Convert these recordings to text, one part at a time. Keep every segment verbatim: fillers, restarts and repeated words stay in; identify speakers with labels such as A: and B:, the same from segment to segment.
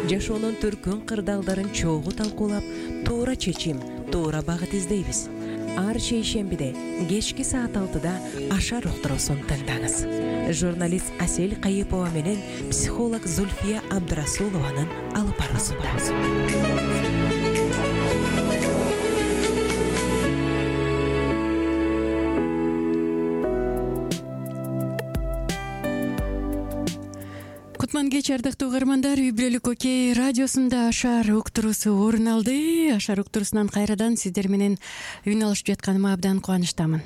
A: жашоонун төркүн кырдаалдарын чогуу талкуулап, туура чечим, туура багыт издейбиз. Ар шейшембиде кечки саат алтыда Ашар уктуруусун тыңдаңыз. Журналист Асель Кайыпова менен психолог Зульфия Абдрасулованын алып баруусунда.
B: Кутман кеч, ардактуу угармандар. Үй бүлөлүк окей радиосунда Ашар уктуруусу орун алды. Ашар уктуруусунан кайрадан сиздер менен үн алышып жатканыма абдан кубанычтамын.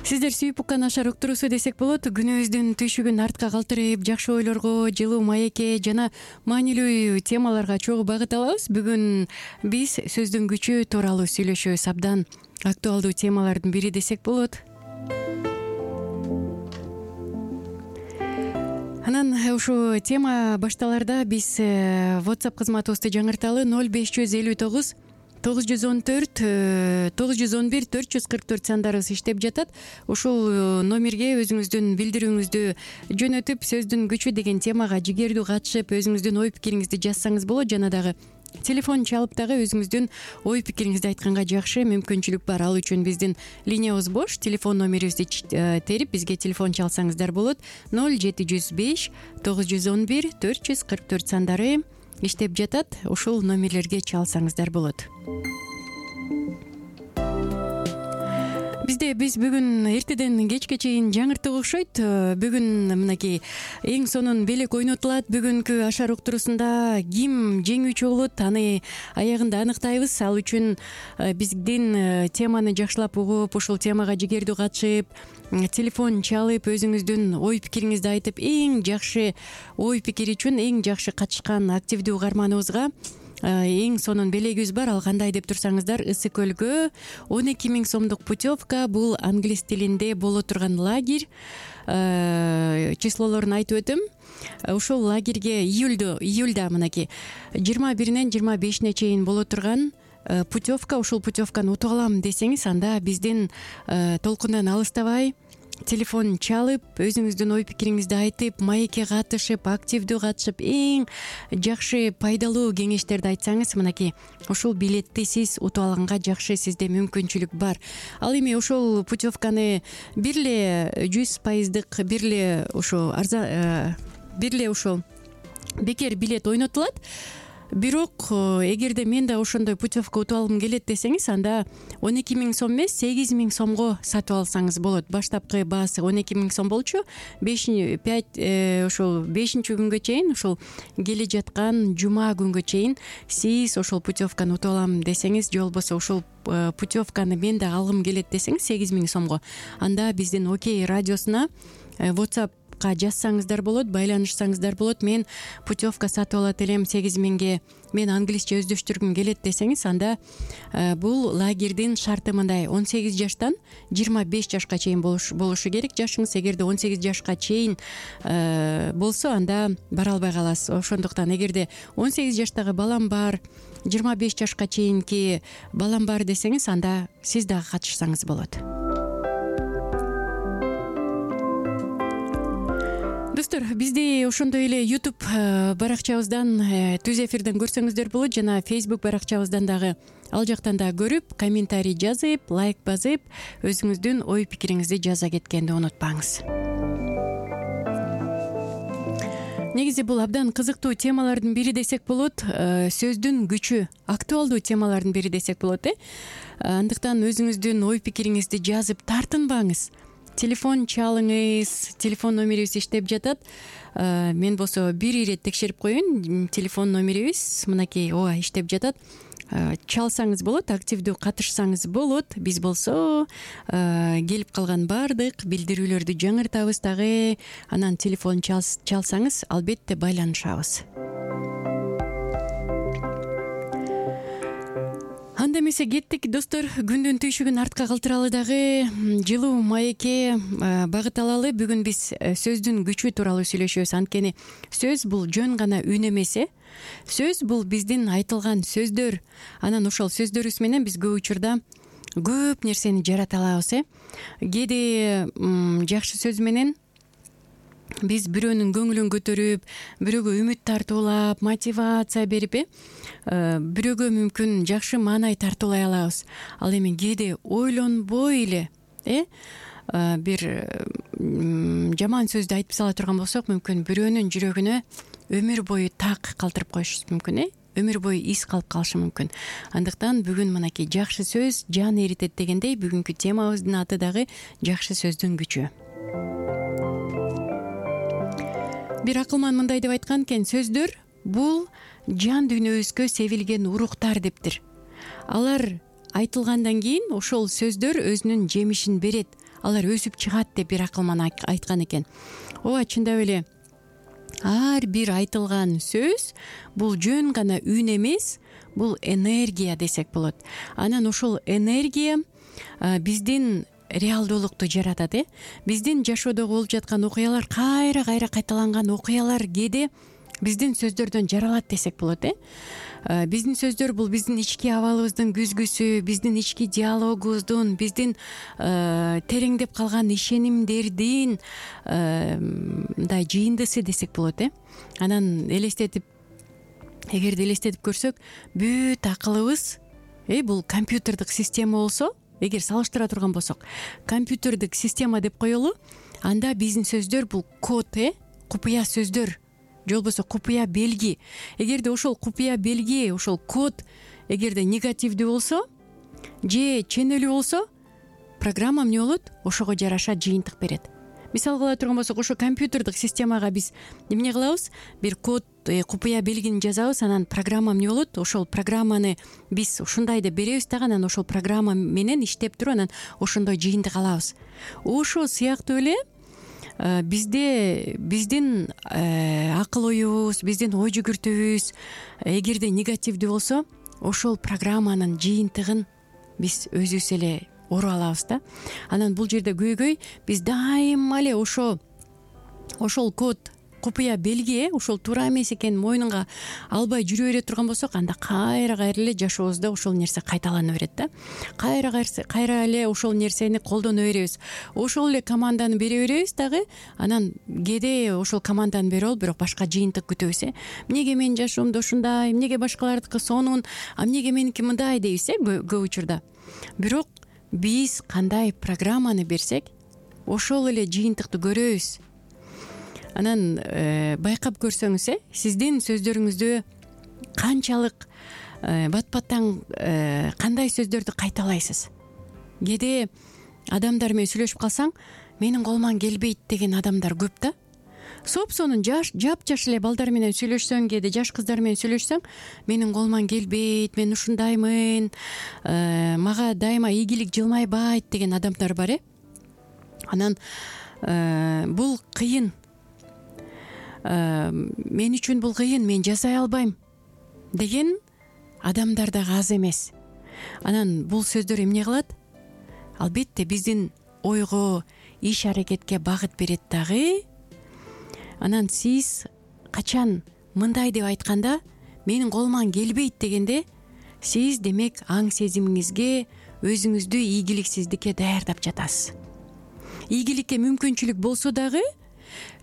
B: Сиздер сүйүп уккан Ашар уктуруусу десек болот. Күнүбүздүн түйшүгүн артка калтырып, жакшы ойлорго, жылуу маекке жана маанилүү темаларга чогуу багыт алабыз. Бүгүн биз сөздүн күчү тууралуу сүйлөшөбүз. Абдан актуалдуу темалардын бири десек болот. Анан ушу тема башталарда биз WhatsApp кызматыбызды жаңырталы. ноль беш жүз элүү тогуз тогуз жүз он төрт тогуз жүз он бир төрт жүз кырк төрт сандарыбыз иштеп жатат. Ушул номерге өзүңүздүн билдирүүңүздү жөнөтүп, сөздүн күчү деген темага жигердүү катышып, өзүңүздүн ой пикириңизди жазсаңыз болот. Жана дагы телефон чалып дагы өзүңүздүн ой пикириңизди айтканга жакшы мүмкүнчүлүк бар. Ал үчүн биздин линиябыз бош. Телефон номерибизди терип бизге телефон чалсаңыздар болот. ноль жети жүз беш тогуз жүз он бир төрт жүз кырк төрт сандары иштеп жатат. Ушул номерлерге чалсаңыздар болот. Бизде биз бүгүн эртеден кечке чейин жаңыртып окшойт. Бүгүн мынакей эң сонун белек ойнотулат. Бүгүнкү Ашар уктуруусунда ким жеңүүчү болот, аны аягында аныктайбыз. Ал үчүн биздин теманы жакшылап угуп, ушул темага жигердүү катышып, телефон чалып, өзүңүздүн ой пикириңизди айтып, эң жакшы ой пикири үчүн эң жакшы катышкан активдүү угарманыбызга эң сонун белегибиз бар. Ал кандай деп турсаңыздар, Ысык көлгө он эки миң сомдук путевка. Бул англис тилинде боло турган лагерь. Числолорун айтып өтөм. Ушул лагерге июльдө июльда мынакей жыйырма биринен жыйырма бешине чейин боло турган путевка. Ушул путевканы утуп алам десеңиз, анда биздин толкундан алыстабай телефон чалып, өзүңүздүн ой пикириңизди айтып, маекке катышып, активдүү катышып, эң жакшы пайдалуу кеңештерди айтсаңыз, мынакей ушул билетти сиз утуп алганга жакшы сизде мүмкүнчүлүк бар. Ал эми ушул путевканы бир эле жүз пайыздык бир эле ушу арзан бир эле ушул бекер билет ойнотулат. Бирок эгерде мен да ошондой путевка утуп алгым келет десеңиз, анда он эки миң сом эмес, сегиз миң сомго сатып алсаңыз болот. Баштапкы баасы он эки миң сом болчу. бешинчи пять ошол бешинчи күнгө чейин, ушул келе жаткан жума күнгө чейин сиз ошол путевканы утуп алам десеңиз, же болбосо ушул путевканы мен да алгым келет десеңиз сегиз миң сомго, анда биздин Окей радиосуна WhatsApp жазсаңыздар болот, байланышсаңыздар болот. Мен путевка сатып алат элем сегиз миңге, мен англисче өздөштүргүм келет десеңиз, анда бул лагердин шарты мындай: он сегиз жаштан жыйырма беш жашка чейин болушу керек жашыңыз. Эгерде он сегиз жашка чейин болсо, анда бара албай каласыз. Ошондуктан эгерде он сегиз жаштагы балам бар, жыйырма беш жашка чейинки балам бар десеңиз, анда сиз дагы катышсаңыз болот. Достор, бизди ошондой эле YouTube баракчабыздан, түз эфирден көрсөңүздөр болот, жана Facebook баракчабыздан дагы ал жактан да көрүп, комментарий жазып, лайк басып, өзүңүздүн ой пикириңизди жаза кеткенди унутпаңыз. Негизи бул абдан кызыктуу темалардын бири десек болот. Сөздүн күчү, актуалдуу темалардын бири десек болот, э. Андыктан өзүңүздүн ой пикириңизди жазып тартынбаңыз. Телефон чалыңыз, телефон номерибиз иштеп жатат. Мен болсо бир ирет текшерип коеюн, телефон номерибиз мынакей ооба иштеп жатат. Чалсаңыз болот, активдүү катышсаңыз болот. Биз болсо келип калган баардык билдирүүлөрдү жаңыртабыз дагы. Анан телефон чалсаңыз, албетте байланышабыз. Анда эмесе кеттик, достор. Күндүн түйшүгүн артка калтыралы дагы, жылуу маекке багыт алалы. Бүгүн биз сөздүн күчү тууралуу сүйлөшөбүз. Анткени сөз бул жөн гана үн эмес, э. Сөз бул биздин айтылган сөздөр. Анан ошол сөздөрүбүз менен биз көп учурда көп нерсени жарата алабыз, э. Кээде жакшы сөз менен биз бирөөнүн көңүлүн көтөрүп, бирөөгө үмүт тартуулап, мотивация берип, э бирөөгө мүмкүн жакшы маанай тартуулай алабыз. Ал эми кээде ойлонбой эле э бир жаман сөздү айтып сала турган болсок, мүмкүн бирөөнүн жүрөгүнө өмүр бою так калтырып коюшубуз мүмкүн, э өмүр бою из калып калышы мүмкүн. Андыктан бүгүн мынакей жакшы сөз жан эритет дегендей, бүгүнкү темабыздын аты дагы жакшы сөздүн күчү. Бир акылман мындай деп айткан экен: сөздөр бул жан дүйнөбүзгө себилген уруктар дептир. Алар айтылгандан кийин ошол сөздөр өзүнүн жемишин берет, алар өсүп чыгат деп бир акылман айткан экен. Ооба, чындап эле ар бир айтылган сөз бул жөн гана үн эмес, бул энергия десек болот. Анан ошол энергия биздин реалдуулукту жаратат, э биздин жашоодо болуп жаткан окуялар, кайра кайра кайталанган окуялар кээде биздин сөздөрдөн жаралат десек болот, э биздин сөздөр бул биздин ички абалыбыздын күзгүсү, биздин ички диалогубуздун, биздин тереңдеп калган ишенимдердин мындай жыйындысы десек болот, э анан элестетип, эгерде элестетип көрсөк, бүт акылыбыз э бул компьютердик система болсо, эгер салыштыра турган болсок, компьютердик система деп коелу, анда биздин сөздөр бул код, э купуя сөздөр, же болбосо купуя белги. Эгерде ошол купуя белги, ошол код эгерде негативдүү болсо же ченелүү болсо, программа эмне болот? Ошого жараша жыйынтык берет. Мисал кыла турган болсок, ошо компьютердик системага биз эмне кылабыз? Бир код, купуя белгини жазабыз, анан программа эмне болот? Ошол программаны биз ушундай деп беребиз дагы, анан ошол программа менен иштеп туруп, анан ошондой жыйынтык алабыз. Ошол сыяктуу эле бизде биздин акыл оюбуз, биздин ой жүгүртүүбүз эгерде негативдүү болсо, ошол программанын жыйынтыгын биз өзүбүз эле оруп алабыз да. Анан бул жерде көйгөй биз дайыма эле ошо ошол код, купуя белги, ошол туура эмес экенин мойнунга албай жүрө бере турган болсок, анда кайра кайра эле жашообузда ошол нерсе кайталана берет да. Кайра кайра эле ошол нерсени колдоно беребиз. Ошол эле команданы бере беребиз дагы, анан кээде ошол команданы берип алып, бирок башка жыйынтык күтөбүз, э эмнеге менин жашоомдо ушундай, эмнеге башкалардыкы сонун, а эмнеге меники мындай дейбиз, э көп учурда. Бирок биз кандай программаны берсек, ошол эле жыйынтыкты көрөбүз. Анан байкап көрсөңүз, э сиздин сөздөрүңүздө канчалык бат-баттан кандай сөздөрдү кайталайсыз. Кээде адамдар менен сүйлөшүп калсаң, менин колуман келбейт деген адамдар көп да. Соп-сонун жаш, жап-жаш эле балдар менен сүйлөшсөң, кээде жаш кыздар менен сүйлөшсөң, менин колуман келбейт, мен ушундаймын, мага дайыма ийгилик жылмайбайт деген адамдар бар, э анан бул кыйын. Мен үчүн бул кыйын, мен жасай албайм деген адамдар дагы аз эмес. Анан бул сөздөр эмне кылат? Албетте биздин ойго, иш аракетке багыт берет дагы. Анан сиз качан мындай деп айтканда, менин колуман келбейт дегенде, сиз демек аң сезимиңизге өзүңүздү ийгиликсиздикке даярдап жатасыз. Ийгиликке мүмкүнчүлүк болсо дагы,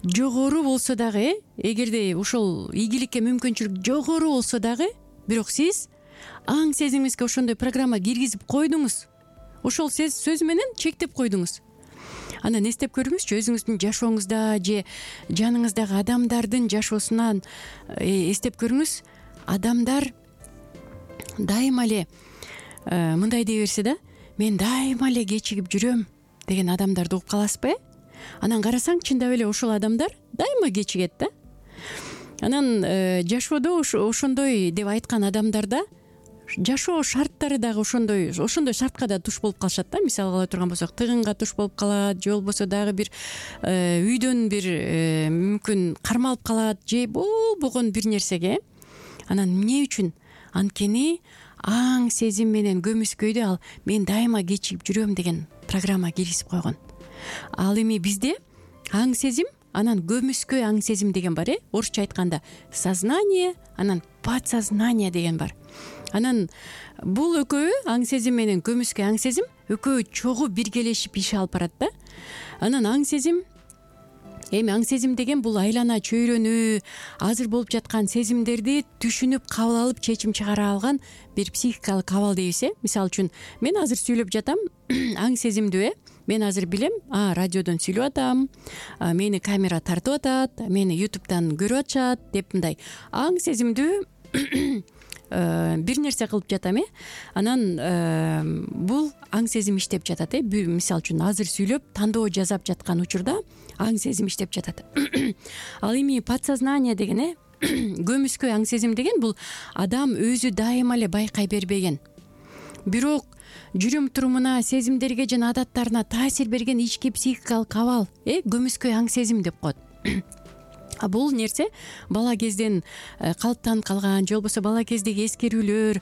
B: жогору болсо дагы, эгерде ошол ийгиликке мүмкүнчүлүк жогору болсо дагы, бирок сиз аң сезимиңизге ошондой программа киргизип койдуңуз. Ошол сөз менен чектеп койдуңуз. Анан эстеп көрүңүзчү, өзүңүздүн жашооңузда же жаныңыздагы адамдардын жашоосунан эстеп көрүңүз. Адамдар дайыма эле мындай дей берсе да, мен дайыма эле кечигип жүрөм деген адамдарды угуп каласызбы? Анан карасаң, чындап эле ошол адамдар дайыма кечигет да. Анан жашоодо ошондой деп айткан адамдарда жашоо шарттары дагы ошондой ошондой шартка да туш болуп калышат да. Мисал кыла турган болсок, тыгынга туш болуп калат, же болбосо дагы бир үйдөн бир мүмкүн кармалып калат, же болбогон бир нерсеге. Анан эмне үчүн? Анткени аң сезим менен көмүскөйдө ал мен дайыма кечигип жүрөм деген программа киргизип койгон. Ал эми бизде аң сезим, анан көмүскө аң сезим деген бар, э орусча айтканда сознание, анан подсознание деген бар. Анан бул экөө аң сезим менен көмүскө аң сезим экөө чогуу биргелешип иш алып барат да. Анан аң сезим эми аң сезим деген бул айлана чөйрөнү, азыр болуп жаткан сезимдерди түшүнүп кабыл алып чечим чыгара алган бир психикалык абал дейбиз. э Мисалы үчүн мен азыр сүйлөп жатам аң сезимдүү. э Мен азыр билем, а радиодон сүйлөп атам, мени камера тартып атат, мени ютубтан көрүп атышат деп мындай аң сезимдүү бир нерсе кылып жатам. э Анан бул аң сезим иштеп жатат. э Мисалы үчүн азыр сүйлөп тандоо жасап жаткан учурда аң сезим иштеп жатат. Ал эми подсознание деген э көмүскө аң сезим деген бул адам өзү дайыма эле байкай бербеген, бирок жүрүм турумуна, сезимдерге жана адаттарына таасир берген ички психикалык абал э көмүскө аң сезим деп коет. А бул нерсе бала кезден калыптанып калган же болбосо бала кездеги эскерүүлөр,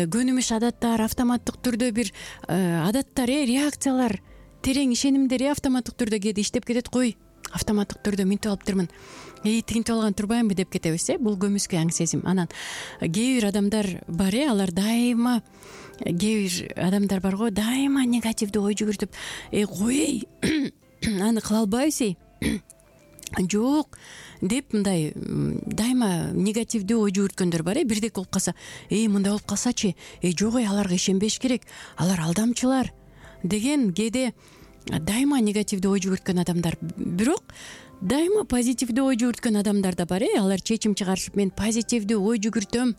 B: көнүмүш адаттар, автоматтык түрдө бир адаттар, э реакциялар, терең ишенимдер автоматтык түрдө кээде иштеп кетет. Кой, автоматтык түрдө минтип алыптырмын, эй тигинтип алган турбаймынбы деп кетебиз. э Бул көмүскө аң сезим. Анан кээ бир адамдар бар, э алар дайыма, кээ бир адамдар бар го, дайыма негативдүү ой жүгүртүп, э кой, аны кыла албайбыз, эй жок деп мындай дайыма негативдүү ой жүгүрткөндөр бар. э Бирдек болуп калса, эй мындай болуп калсачы, эй жок, эй аларга ишенбеш керек, алар алдамчылар деген кээде дайыма негативдүү ой жүгүрткөн адамдар. Бирок дайыма позитивдүү ой жүгүрткөн адамдар да бар. э Алар чечим чыгарышып, мен позитивдүү ой жүгүртөм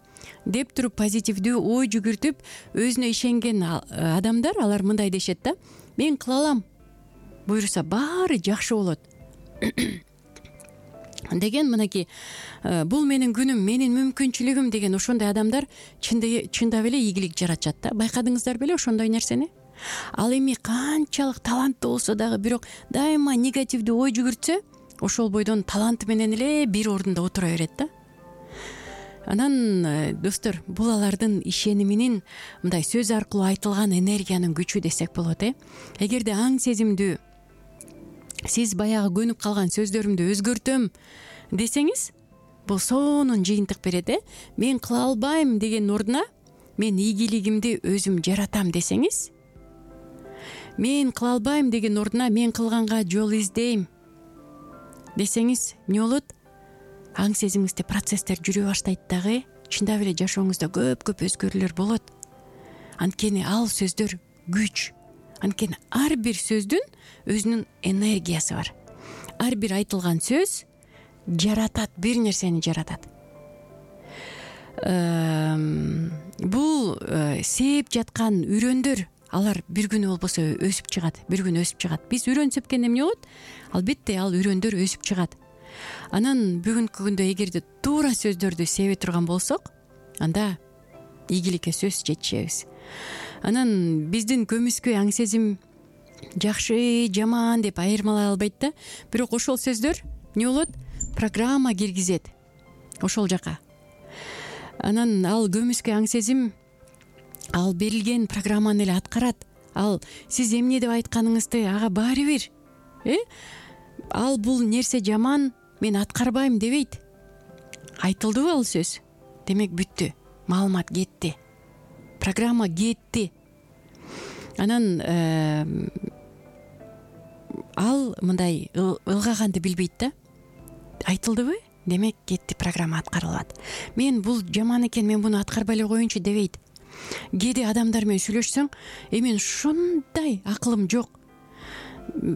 B: деп туруп, позитивдүү ой жүгүртүп өзүнө ишенген адамдар, алар мындай дешет да: мен кыла алам, буюрса баары жакшы болот деген. Мынакей бул менин күнүм, менин мүмкүнчүлүгүм деген ошондой адамдар чындап эле ийгилик жаратышат да. Байкадыңыздар беле ошондой нерсени? Ал эми канчалык таланттуу болсо дагы, бирок дайыма негативдүү ой жүгүртсө, ошол бойдон таланты менен эле бир ордунда отура берет да. Анан достор, бул алардын ишениминин мындай сөз аркылуу айтылган энергиянын күчү десек болот. э Эгерде аң сезимдүү сиз баягы көнүп калган сөздөрүмдү өзгөртөм десеңиз, бул сонун жыйынтык берет. э Мен кыла албайм деген ордуна мен ийгилигимди өзүм жаратам десеңиз, мен кыла албайм деген ордуна мен кылганга жол издейм десеңиз, эмне болот? Аң сезимиңизде процесстер жүрө баштайт дагы. Чындап эле жашооңузда көп көп өзгөрүүлөр болот. Анткени ал сөздөр күч. Анткени ар бир сөздүн өзүнүн энергиясы бар. Ар бир айтылган сөз жаратат, бир нерсени жаратат. Бул сээп жаткан үрөндөр, алар бир күнү болбосо өсүп чыгат, бир күнү өсүп чыгат. Биз үрөн сепкенде эмне болот? Албетте ал үрөндөр өсүп чыгат. Анан бүгүнкү күндө эгерде туура сөздөрдү себе турган болсок, анда ийгиликке сөз жетишебиз. Анан биздин көмүскө аң сезим жакшы, жаман деп айырмалай албайт да. Бирок ошол сөздөр эмне болот? Программа киргизет ошол жака. Анан ал көмүскө аң сезим ал берилген программаны эле аткарат. Ал сиз эмне деп айтканыңызды ага баары бир, э ал бул нерсе жаман, мен аткарбайм дебейт. Айтылдыбы ал сөз? Демек бүттү. Маалымат кетти. Программа кетти. Анан ал мындай ылгаганды билбейт да. Айтылдыбы? Демек кетти, программа аткарылат. Мен бул жаман экен, мен буну аткарбай эле коеюнчу дебейт. Кээде адамдар менен сүйлөшсөң, э мен ушундай акылым жок.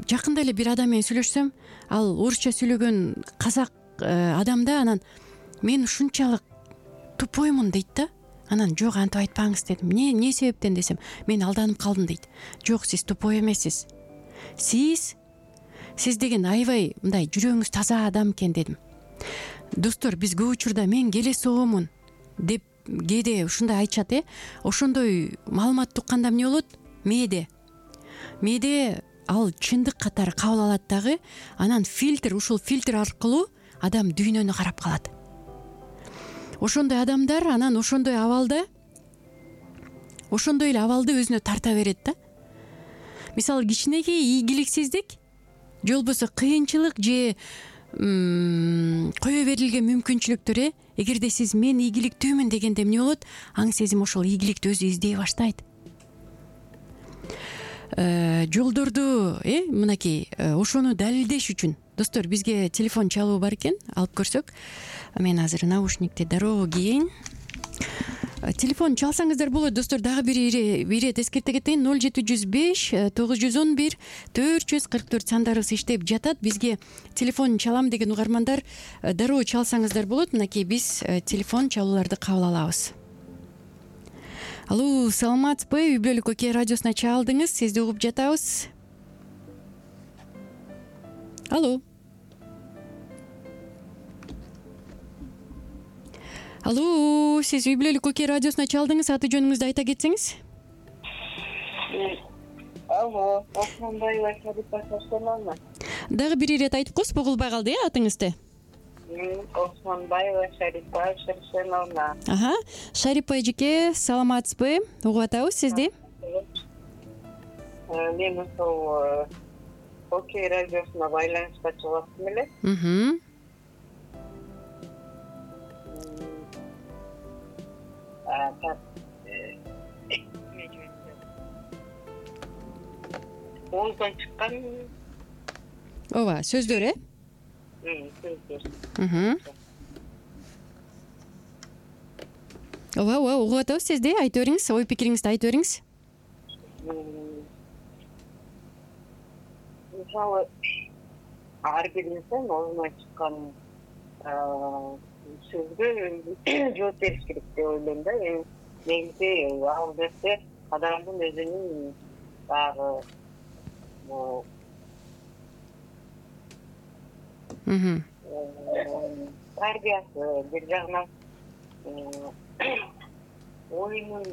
B: Жакында эле бир адам менен сүйлөшсөм, ал орусча сүйлөгөн казак адам да, анан мен ушунчалык тупоймун дейт да. Анан жок, антип айтпаңыз дедим. Не, не себептен десем, мен алданып калдым дейт. Жок, сиз тупой эмессиз. Сиз сиз деген аябай мындай жүрөгүңүз таза адам экен дедим. Достор, биз көп учурда мен келе соомун деп кээде ушундай айтышат, э ошондой маалымат укканда эмне болот? Мээде. Мээде ал чындык катары кабыл алат дагы. Анан фильтр, ушул фильтр аркылуу адам дүйнөнү карап калат. Ошондой адамдар анан ошондой абалда, ошондой эле абалды өзүнө тарта берет да. Мисалы, кичинекей ийгиликсиздик же болбосо кыйынчылык же кое берилген мүмкүнчүлүктөр, э эгерде сиз мен ийгиликтүүмүн дегенде эмне болот? Аң сезим ошол ийгиликти өзү издей баштайт. жолдорду э мынакей ошону далилдеш үчүн достор бизге телефон чалуу бар экен, алып көрсөк. Мен азыр наушникти дароо кийин. Телефон чалсаңыздар болот достор. Дагы бир ирет эскерте кетейин. ноль жети жүз беш тогуз жүз он бир төрт жүз кырк төрт сандарыбыз иштеп жатат. Бизге телефон чалам деген угармандар дароо чалсаңыздар болот. Мынакей биз телефон чалууларды кабыл алабыз. Алло, саламатсызбы? Үй бүлөлүк Оке радиосуна чалдыңыз. Сизди угуп жатабыз. Алло. Алло, сиз Үй бүлөлүк Оке радиосуна чалдыңыз. Аты жөнүңүздү айта кетсеңиз.
C: Алло, Османбаева Шарипа Шаршеновна.
B: Дагы бир ирет айтып коюңуз, бугулбай калды э атыңызды.
C: Османбаева Шарипа Шаршеновна.
B: Аха, Шарипа эжеке, саламатсызбы? Угуп атабыз сизди.
C: Мен ошол Оке радиосуна байланышка чыгып аттым эле.
B: Мм.
C: Ооздон чыккан.
B: Ооба, сөздөр э?
C: Сөздөр.
B: Мм. Ооба, ооба, угуп атабыз сизди. Айтып бериңиз, ой пикириңизди айтып бериңиз.
C: Мисалы, ар бир инсан оозунан чыккан сөзгө жооп бериш керек деп ойлойм да. Негизи ал нерсе адамдын өзүнүн дагы
B: Мм.
C: тарбиясы, бир жагынан оюнун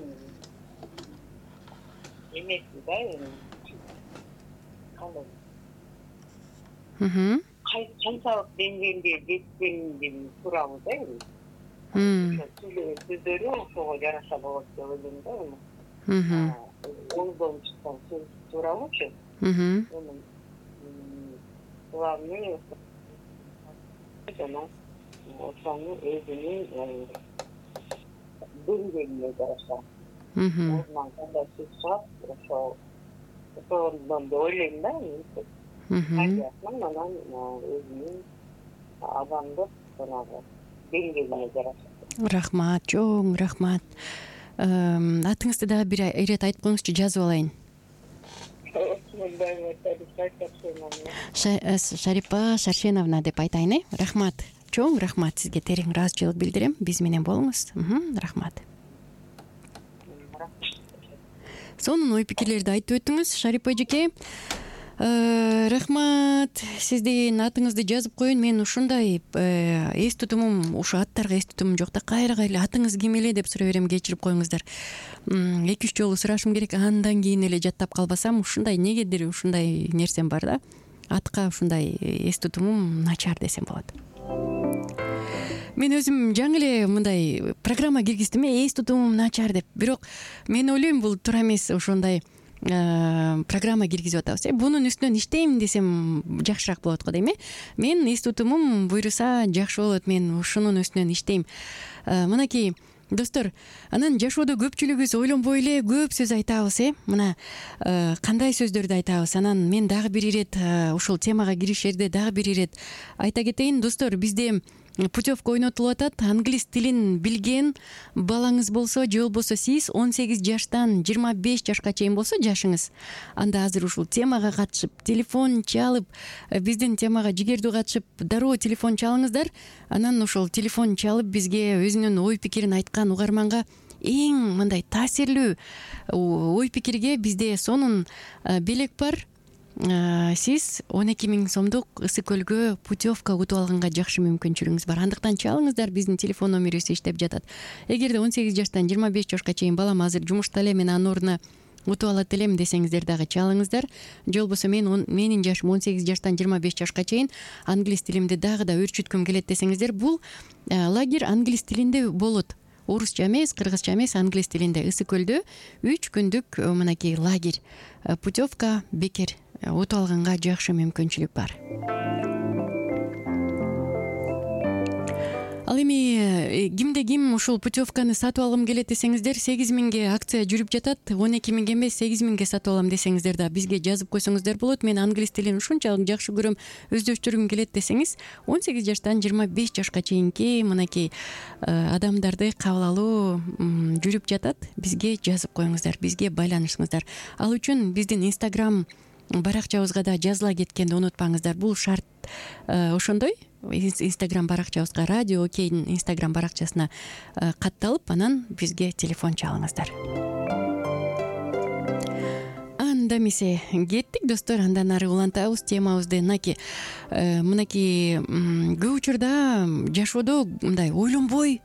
C: эмеси да, кандай
B: Мм.
C: канчалык деңгээлде жеткендин тууралуу да.
B: Мм.
C: Сөздөрү ошого жараша болот деп ойлойм да.
B: Мм.
C: Ооздон чыккан сөз тууралуучу.
B: Мм.
C: Главный жана ошонун өзүнүн деңгээлине жараша.
B: Мм.
C: Ошондон кандай сөз чыгат, ошол ошондон деп ойлойм да.
B: Мм.
C: Анан өзүнүн адамдык жанагы деңгээлине жараша.
B: Рахмат, чоң рахмат. Атыңызды дагы бир ирет айтып коюңузчу, жазып алайын. Шарипа Шаршеновна деп айтайын э. Рахмат. Чоң рахмат, сизге терең ыраазычылык билдирем. Биз менен болуңуз. Рахмат. Сонун ой пикирлерди айтып өттүңүз, Шарипа эжеке. Рахмат. Сиздин атыңызды жазып коеюн. Мен ушундай эс тутумум, ушу аттарга эс тутумум жок да. Кайрага эле атыңыз ким эле деп сурай берем, кечирип коюңуздар. эки үч жолу сурашым керек, андан кийин эле жаттап калбасам, ушундай негедир ушундай нерсем бар да. Атка ушундай эс тутумум начар десем болот. Мен өзүм жаңы эле мындай программа киргиздим, эс тутумум начар деп. Бирок мен ойлойм, бул туура эмес, ошондой программа киргизип атабыз. Бунун үстүнөн иштейм десем жакшыраак болот го дейм э. Мен эс тутумум буйруса жакшы болот, мен ушунун үстүнөн иштейм. Мынакей достор, анан жашоодо көпчүлүгүбүз ойлонбой эле көп сөз айтабыз э. Мына кандай сөздөрдү айтабыз. Анан мен дагы бир ирет ушул темага киришерде дагы бир ирет айта кетейин достор. Бизде путевка ойнотулуп атат. Англис тилин билген балаңыз болсо, же болбосо сиз он сегиз жаштан жыйырма беш жашка чейин болсо жашыңыз, анда азыр ушул темага катышып, телефон чалып, биздин темага жигердүү катышып, дароо телефон чалыңыздар. Анан ошол телефон чалып бизге өзүнүн ой пикирин айткан угарманга эң мындай таасирлүү ой пикирге бизде сонун белек бар. Сиз он эки миң сомдук Ысык көлгө путевка утуп алганга жакшы мүмкүнчүлүгүңүз бар. Андыктан чалыңыздар, биздин телефон номерибиз иштеп жатат. Эгерде он сегиз жаштан жыйырма беш жашка чейин балам азыр жумушта эле, мен анын ордуна утуп алат элем десеңиздер дагы чалыңыздар. Же болбосо мен менин жашым он сегиз жаштан жыйырма беш жашка чейин англис тилимди дагы да өрчүткүм келет десеңиздер, бул лагерь англис тилинде болот. Орусча эмес, кыргызча эмес, англис тилинде Ысык көлдө үч күндүк мынакей лагерь, путевка бекер утуп алганга жакшы мүмкүнчүлүк бар. Ал эми кимде ким ушул путевканы сатып алгым келет десеңиздер, сегиз миңге акция жүрүп жатат. он эки миңге эмес, сегиз миңге сатып алам десеңиздер да бизге жазып койсоңуздар болот. Мен англис тилин ушунчалык жакшы көрөм, өздөштүргүм келет десеңиз, он сегиз жаштан жыйырма беш жашка чейинки мынакей адамдарды кабыл алуу жүрүп жатат. Бизге жазып коюңуздар, бизге байланышыңыздар. Ал үчүн биздин Instagram баракчабызга да жазыла кеткенди унутпаңыздар. Бул шарт ошондой. Instagram баракчабызга, Радио Окейдин Instagram баракчасына катталып, анан бизге телефон чалыңыздар. Анда эмесе кеттик достор, андан ары улантабыз темабызды. Мынакей мынакей көп учурда жашоодо мындай ойлонбой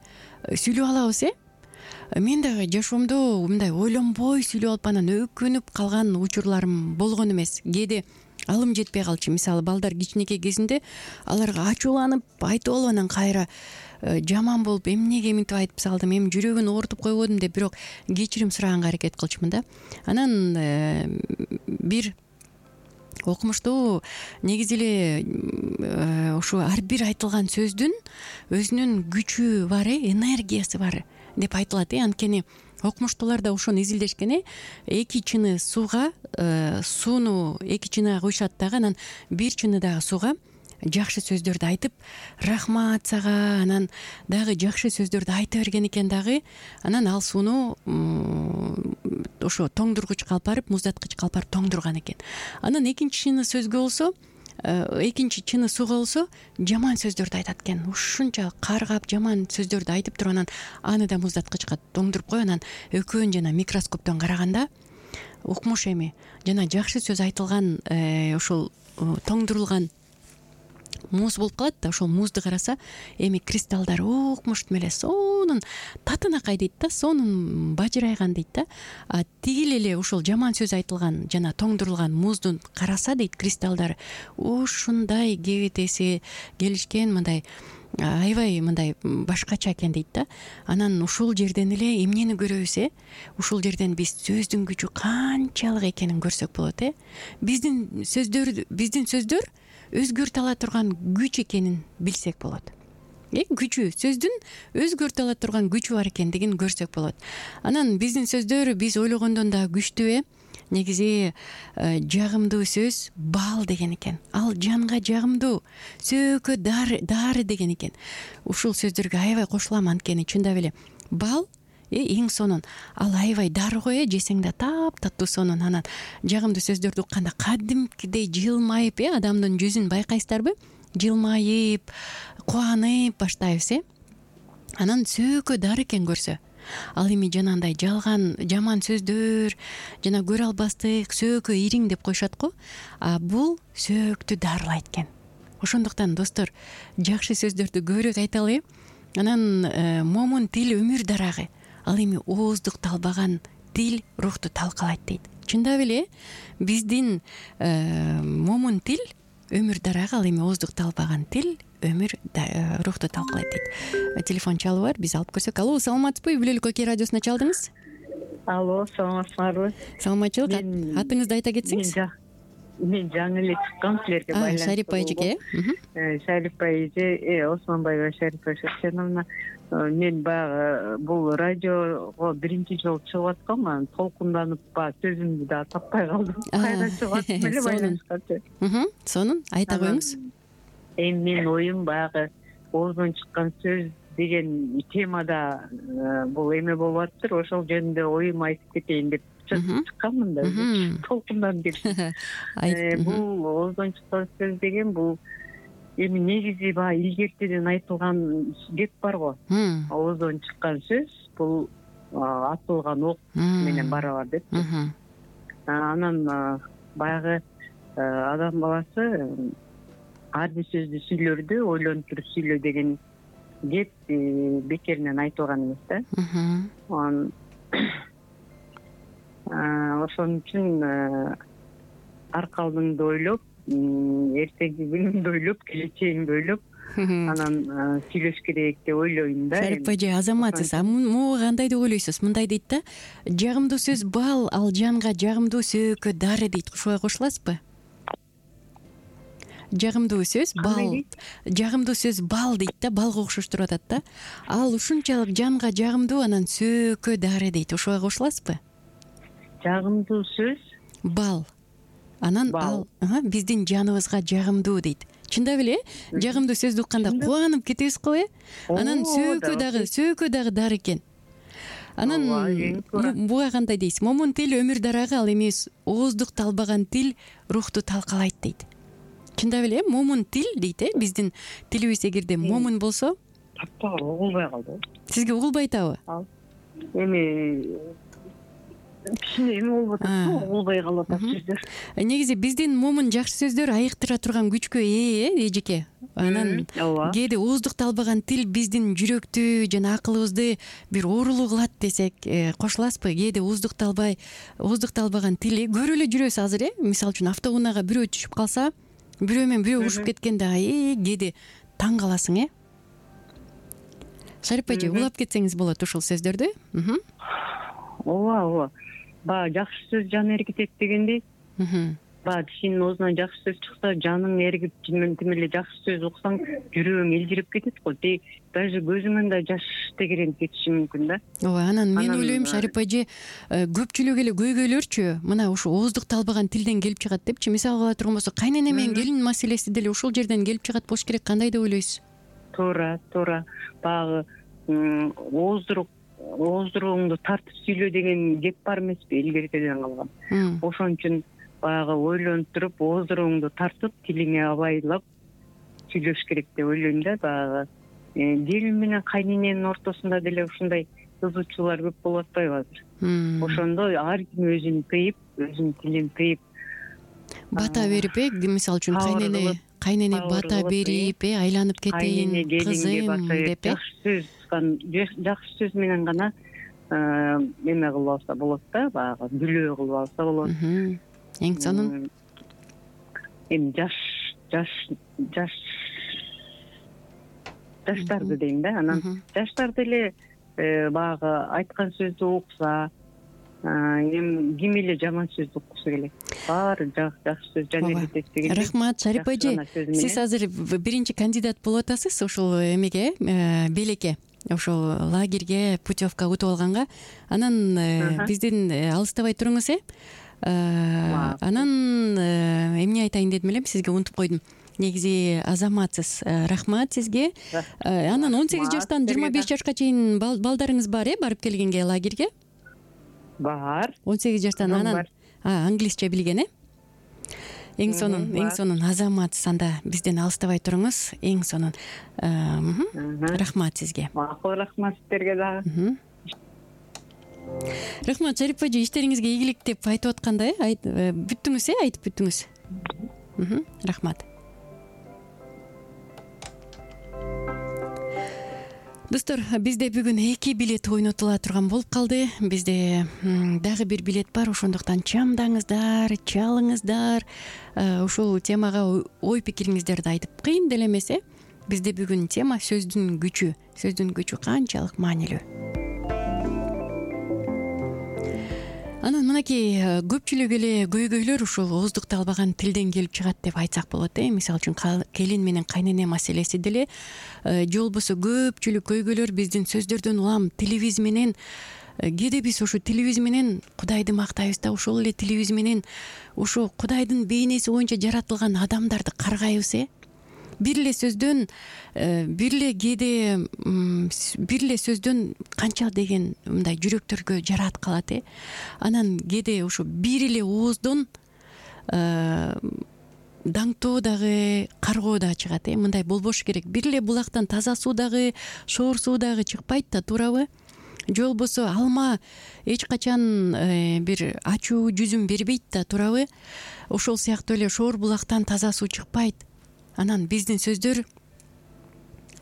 B: сүйлөп алабыз, э? Мен дагы жашоомдо мындай ойлонбой сүйлөп алып анан өкүнүп калган учурларым болгон эмес. Кээде алым жетпей калчу. Мисалы, балдар кичинекей кезинде аларга ачууланып айтып алып, анан кайра жаман болуп, эмнеге мынтип айтып салдым, эми жүрөгүн оорутуп койбодум деп, бирок кечирим сураганга аракет кылчумун да. Анан бир окумуштуу негизи эле ушу ар бир айтылган сөздүн өзүнүн күчү бар, энергиясы бар деп айтылат. Анткени окумуштуулар да ошону изилдешкен. э эки чыны сууга, сууну эки чыныга куйшат дагы, анан бир чыны дагы сууга жакшы сөздөрдү айтып, рахмат сага, анан дагы жакшы сөздөрдү айта берген экен дагы. Анан ал сууну ошо тоңдургучка алып барып, муздаткычка алып барып тоңдурган экен. Анан экинчи чыны сөзгө болсо, экинчи чыны сууга болсо жаман сөздөрдү айтат экен. Ушунча каргап жаман сөздөрдү айтып туруп, анан аны да муздаткычка тоңдуруп коюп, анан экөөнү жана микроскоптон караганда укмуш эми жана жакшы сөз айтылган ошол тоңдурулган муз болуп калат да. Ошол музду караса эми кристаллдар укмуштуу эле сонун татынакай дейт да, сонун бажырайган дейт да. А тигил эле ошол жаман сөз айтылган жана тоңдурулган музду караса дейт, кристаллдар ушундай кебетеси келишкен, мындай аябай мындай башкача экен дейт да. Анан ушул жерден эле эмнени көрөбүз, э? Ушул жерден биз сөздүн күчү канчалык экенин көрсөк болот, э? Биздин сөздөр, биздин сөздөр өзгөртө ала турган күч экенин билсек болот. Э, күчү, сөздүн өзгөртө ала турган күчү бар экендигин көрсөк болот. Анан биздин сөздөр биз ойлогондон да күчтүү, э? Негизи жагымдуу сөз бал деген экен. Ал жанга жагымдуу, сөөгкө дары деген экен. Ушул сөздөргө аябай кошулам, анткени чындап эле бал эң сонун. Ал аябай дары го, э, жесең да таптаттуу сонун. Анан жагымдуу сөздөрдү укканда кадимкидей жылмайып, э, адамдын жүзүн байкайсыздарбы? Жылмайып, кубанып баштайбыз, э? Анан сөөгкө дары экен көрсө. Ал эми жанагындай жалган, жаман сөздөр жана көрө албастык, сөөгкө ириң деп коюшат го. А бул сөөктү дарылайт экен. Ошондуктан достор, жакшы сөздөрдү көбүрөөк айталы. Анан момун тил өмүр дарагы. Ал эми ооздук талбаган тил рухту талкалайт дейт. Чындап эле биздин момун тил өмүр дарагы, ал эми ооздук талбаган тил өмүр рухту талкалайт дейт. Телефон чалуу бар, биз алып көрсөк. Алло, саламатсызбы? Бүлөлүк Окей радиосуна чалдыңыз.
C: Алло, саламатсызбы?
B: Саламатчылык. Атыңызды айта кетсеңиз.
C: Мен жаңы эле чыккам силерге байланыштуу.
B: Шарипа эжеке,
C: э? Шарипа эже, Осмонбаева Шарипа Шерченовна. Мен баягы бул радиого биринчи жолу чыгып аткам, анан толкунданып ба сөзүмдү да таппай калдым. Кайра чыгып аттым эле байланышканча.
B: Сонун, айта коюңуз.
C: Эми менин оюм баягы оозунан чыккан сөз деген темада бул эме болуп атыптыр. Ошол жөнүндө оюм айтып кетейин деп чыкканмын да. Толкундан деп. Бул оозунан чыккан сөз деген бул эми негизи баягы илгертеден айтылган кеп бар го. Оозунан чыккан сөз бул атылган ок менен барабар деп. Анан баягы адам баласы ар бир сөздү сүйлөрдү ойлонуп туруп сүйлө деген кеп бекеринен айтылган эмес да. Анан ошон үчүн аркалдыңды ойлоп, эртеңки күнүңдү ойлоп, келечегиңди ойлоп, анан сүйлөш керек деп ойлойм да.
B: Шарипа эже, азаматсыз. А могу кандай деп ойлойсуз? Мындай дейт да, жагымдуу сөз бал, ал жанга жагымдуу, сөөгкө дары дейт. Ушуга кошуласызбы? жагымдуу сөз бал. Жагымдуу сөз бал дейт да, балга окшоштуруп атат да. Ал ушунчалык жанга жагымдуу, анан сөккө дары дейт. Ошого кошуласызбы?
C: Жагымдуу сөз
B: бал. Анан ал биздин жаныбызга жагымдуу дейт. Чындап эле, жагымдуу сөздү укканда кубанып кетебиз го, э? Анан сөккө дагы, сөккө дагы дары экен. Анан буга кандай дейсиз? Момун тил өмүр дарагы, ал эми ооздук талбаган тил рухту талкалайт дейт. Чындап эле, момун тил дейт, э? Биздин тилибиз эгерде момун болсо,
C: таппагыр угулбай калды.
B: Сизге угулбай атабы?
C: Эми кичине эме болуп атат, угулбай калып атат сөздөр.
B: Негизи биздин момун жакшы сөздөр айыктыра турган күчкө ээ, э, эжеке. Анан кээде ооздук талбаган тил биздин жүрөктү жана акылыбызды бир оорулуу кылат десек, кошуласызбы? Кээде ооздук талбай, ооздук талбаган тил көрүп эле жүрөбүз азыр, э? Мисалы үчүн автоунаага бирөө түшүп калса, бирөө менен бирөө урушуп кеткенде, э, кээде таң каласың, э? Шарипа эже, улап кетсеңиз болот ушул сөздөрдү.
C: Ооба, ооба. Баягы жакшы сөз жан эргитет дегендей. Баягы кишинин оозунан жакшы сөз чыкса, жаның эргип, тим эле жакшы сөз уксаң, жүрөгүң элжирип кетет го. Даже көзүңөн да жаш тегеренип кетиши мүмкүн да.
B: Ооба, анан мен ойлойм, Шарипа эже, көпчүлүк эле көйгөйлөрчү мына ушу ооздук талбаган тилден келип чыгат депчи. Мисалы кыла турган болсо, кайнене менен келин маселеси деле ушул жерден келип чыгат болуш керек. Кандай деп ойлойсуз?
C: Туура, туура. Баягы ооздурук ооздуругуңду тартып сүйлө деген кеп бар эмеспи, илгеркеден калган. Ошон үчүн баягы ойлонуп туруп, ооздуругуңду тартып, тилиңе абайлап сүйлөш керек деп ойлойм да. Баягы келин менен кайнененин ортосунда деле ушундай кызуучулар көп болуп атпайбы азыр? Ошондо ар ким өзүн тыйып, өзүнүн тилин тыйып,
B: бата берип, э, мисалы үчүн кайнене кайнене бата берип, э, айланып кетейин кызым деп, э, жакшы сөз жакшы сөз менен гана эме кылып алса болот да, баягы бүлөө кылып алса болот. Эң сонун эми жаш жаш жаш жаштарды дейм да. Анан жаштар деле баягы айткан сөздү укса, эми ким эле жаман сөздү уккусу келет. Баары жакшы сөз жан эргитет деген. Рахмат, Шарипа эже. Сиз азыр биринчи кандидат болуп атасыз ушул эмеге, белекке, ошол лагерге, путевка утуп алганга. Анан бизден алыстабай туруңуз, э? Анан эмне айтайын дедим элем, сизге унутуп койдум. Негизи азаматсыз. Рахмат сизге. Анан он сегиз жаштан жыйырма беш жашка чейин балдарыңыз бар, э, барып келгенге лагерге?
C: Бар.
B: он сегиз жаштан анан англисче билген, э? Эң сонун, эң сонун азаматсыз. Анда бизден алыстабай туруңуз. Эң сонун. Рахмат сизге.
C: Макул, рахмат сиздерге дагы.
B: Рахмат, Шарипа эже, иштериңизге ийгилик деп айтып атканда, э, бүттүңүз, э, айтып бүттүңүз. Рахмат. Достор, бизде бүгүн эки билет ойнотула турган болуп калды. Бизде дагы бир билет бар, ошондуктан чамдаңыздар, чалыңыздар. Ушул темага ой пикириңиздерди айтып, кыйын деле эмес, э? Бизде бүгүн тема сөздүн күчү. Сөздүн күчү канчалык маанилүү. Анан мынакей көпчүлүк эле көйгөйлөр ушул ооздук талбаган тилден келип чыгат деп айтсак болот, э? Мисалы үчүн келин менен кайнене маселеси деле, же болбосо көпчүлүк көйгөйлөр биздин сөздөрдөн улам тилибиз менен, кээде биз ушу тилибиз менен Кудайды мактайбыз да, ошол эле тилибиз менен ушу Кудайдын бейнеси боюнча жаратылган адамдарды каргайбыз, э? Бир эле сөздөн, бир эле кээде бир эле сөздөн канча деген мындай жүрөктөргө жараат калат, э? Анан кээде ушу бир эле ооздон даңтоо дагы, каргоо дагы чыгат, э? Мындай болбош керек. Бир эле булактан таза суу дагы, шоор суу дагы чыкпайт да, туурабы? Же болбосо алма эч качан бир ачуу жүзүн бербейт да, туурабы? Ошол сыяктуу эле шоор булактан таза суу чыкпайт. Анан биздин сөздөр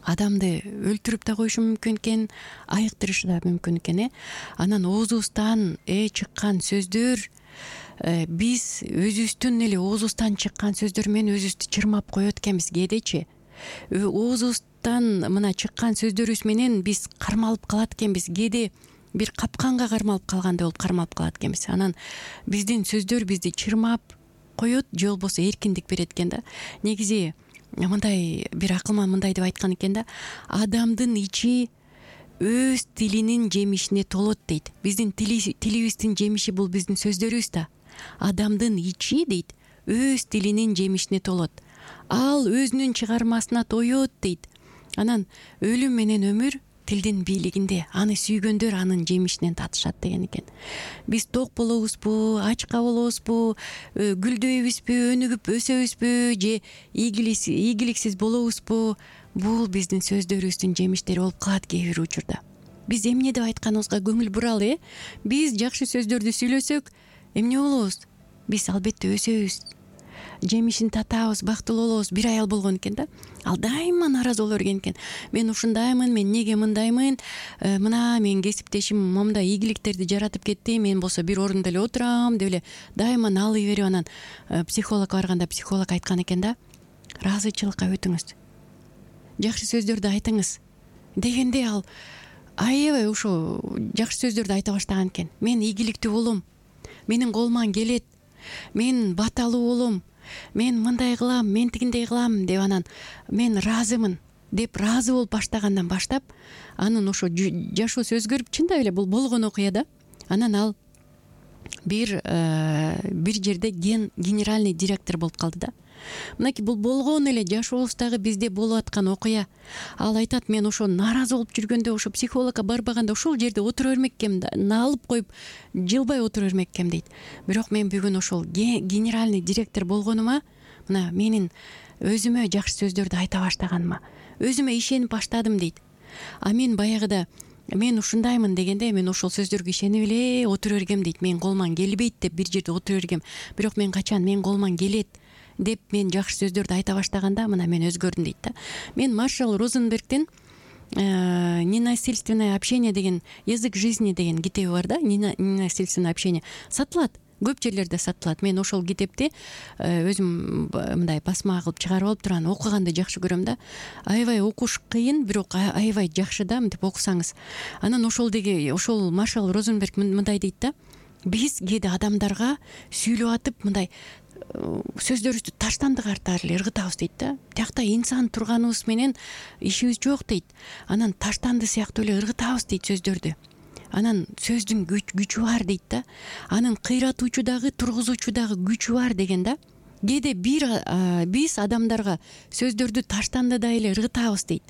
B: адамды өлтүрүп да коюшу мүмкүн экен, айыктырышы да мүмкүн экен, э? Анан оозубуздан э чыккан сөздөр, биз өзүбүздүн эле оозубуздан чыккан сөздөр менен өзүбүздү чырмап коет экенбиз кээдечи. Оозубуздан мына чыккан сөздөрүбүз менен биз кармалып калат экенбиз. Кээде бир капканга кармалып калгандай болуп кармалып калат экенбиз. Анан биздин сөздөр бизди чырмап, коет же болбосо эркиндик берет экен да. Негизи мындай бир акылман мындай деп айткан экен да, адамдын ичи өз тилинин жемишине толот дейт. Биздин тилибиздин жемиши бул биздин сөздөрүбүз да. Адамдын ичи дейт өз тилинин жемишине толот. Ал өзүнүн чыгармасына тоет дейт. Анан өлүм менен өмүр тилдин бийлигинде, аны сүйгөндөр анын жемишинен татышат деген экен. Биз ток болобузбу, ачка болобузбу, гүлдөйбүзбү, өнүгүп өсөбүзбү же ийгиликсиз болобузбу, бул биздин сөздөрүбүздүн жемиштери болуп калат кээ бир учурда. Биз эмне деп айтканыбызга көңүл буралы, э? Биз жакшы сөздөрдү сүйлөсөк, эмне болобуз? Биз албетте өсөбүз, жемишин татабыз, бактылуу болобуз. Бир аял болгон экен да. Ал дайыма нааразы боло берген экен. Мен ушундаймын, мен неге мындаймын? Мына менин кесиптешим момундай ийгиликтерди жаратып кетти. Мен болсо бир орунда эле отурам деп эле дайыма налый берип, анан психологко барганда психолог айткан экен да. Ыраазычылыкка өтүңүз. Жакшы сөздөрдү айтыңыз дегенде ал аябай ошо жакшы сөздөрдү айта баштаган экен. Мен ийгиликтүү болом. Менин колуман келет. Мен баталуу болом. Мен мындай кылам, мен тигиндей кылам деп, анан мен ыраазымын деп ыраазы болуп баштагандан баштап анын ошо жашоосу өзгөрүп, чындап эле бул болгон окуя да. Анан ал бир бир жерде ген генеральный директор болуп калды да. Мынакей бул болгон эле жашообуздагы бизде болуп аткан окуя. Ал айтат, мен ошо нааразы болуп жүргөндө, ошо психологко барбаганда ошол жерде отура бермек экем, наалып коюп жылбай отура бермек экем дейт. Бирок мен бүгүн ошол генеральный директор болгонума, мына менин өзүмө жакшы сөздөрдү айта баштаганыма, өзүмө ишенип баштадым дейт. А мен баягыда мен ушундаймын дегенде, мен ошол сөздөргө ишенип эле отура бергем дейт. Мен колуман келбейт деп бир жерде отура бергем. Бирок мен качан мен колуман келет деп мен жакшы сөздөрдү айта баштаганда мына мен өзгөрдүм дейт да. Мен Маршал Розенбергдин «Ненасильственное общение» деген, «Язык жизни» деген китеби бар да. Ненасильственное общение сатылат, көп жерлерде сатылат. Мен ошол китепти өзүм мындай басма кылып чыгарып алып турган, окуганды жакшы көрөм да. Аябай окуш кыйын, бирок аябай жакшы да, мынтип окусаңыз. Анан ошол деги ошол Маршал Розенберг мындай дейт да. Биз кээде адамдарга сүйлөп атып мындай сөздөрүбүздү таштандык артары эле ыргытабыз дейт да. Тиякта инсан турганыбыз менен ишибиз жок дейт. Анан таштанды сыяктуу эле ыргытабыз дейт сөздөрдү. Анан сөздүн күчү бар дейт да. Анын кыйратуучу дагы, тургузуучу дагы күчү бар деген да. Кээде бир биз адамдарга сөздөрдү таштандыдай эле ыргытабыз дейт.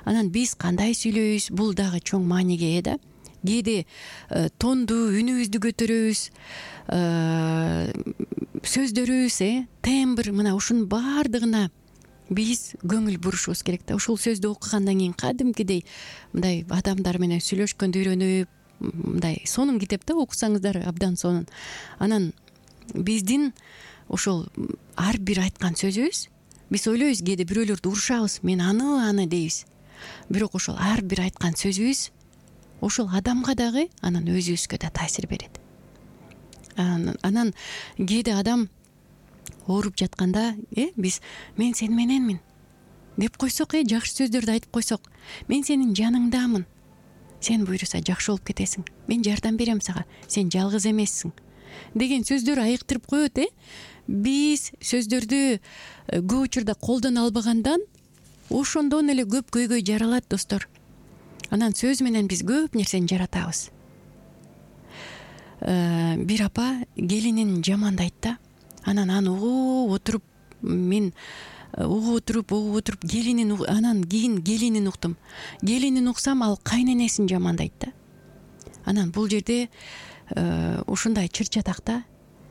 B: Анан биз кандай сүйлөйбүз, бул дагы чоң мааниге ээ да. Кээде тонду, үнүбүздү көтөрөбүз, сөздөрүбүз, э, тембр, мына ушунун баардыгына биз көңүл бурушубуз керек да. Ушул сөздү окугандан кийин кадимкидей мындай адамдар менен сүйлөшкөндү үйрөнүп, мындай сонун китеп да, окусаңыздар абдан сонун. Анан биздин ошол ар бир айткан сөзүбүз, биз ойлойбуз кээде бирөөлөрдү урушабыз, мен аны аны дейбиз. Бирок ошол ар бир айткан сөзүбүз ошол адамга дагы, анан өзүбүзгө да таасир берет. Анан кээде адам ооруп жатканда, э, биз мен сен мененмин деп койсок, э, жакшы сөздөрдү айтып койсок, мен сенин жаныңдамын, сен буйруса жакшы болуп кетесиң, мен жардам берем сага, сен жалгыз эмессиң деген сөздөр айыктырып коет. э Биз сөздөрдү көп учурда колдоно албагандан ошондон эле көп көйгөй жаралат, достор. Анан сөз менен биз көп нерсени жаратабыз. Бир апа келинин жамандайт да. Анан аны угуп отуруп, мен угуп отуруп, угуп отуруп келинин, анан кийин келинин уктум. Келинин уксам, ал кайненесин жамандайт да. Анан бул жерде ушундай чыр-чатак да.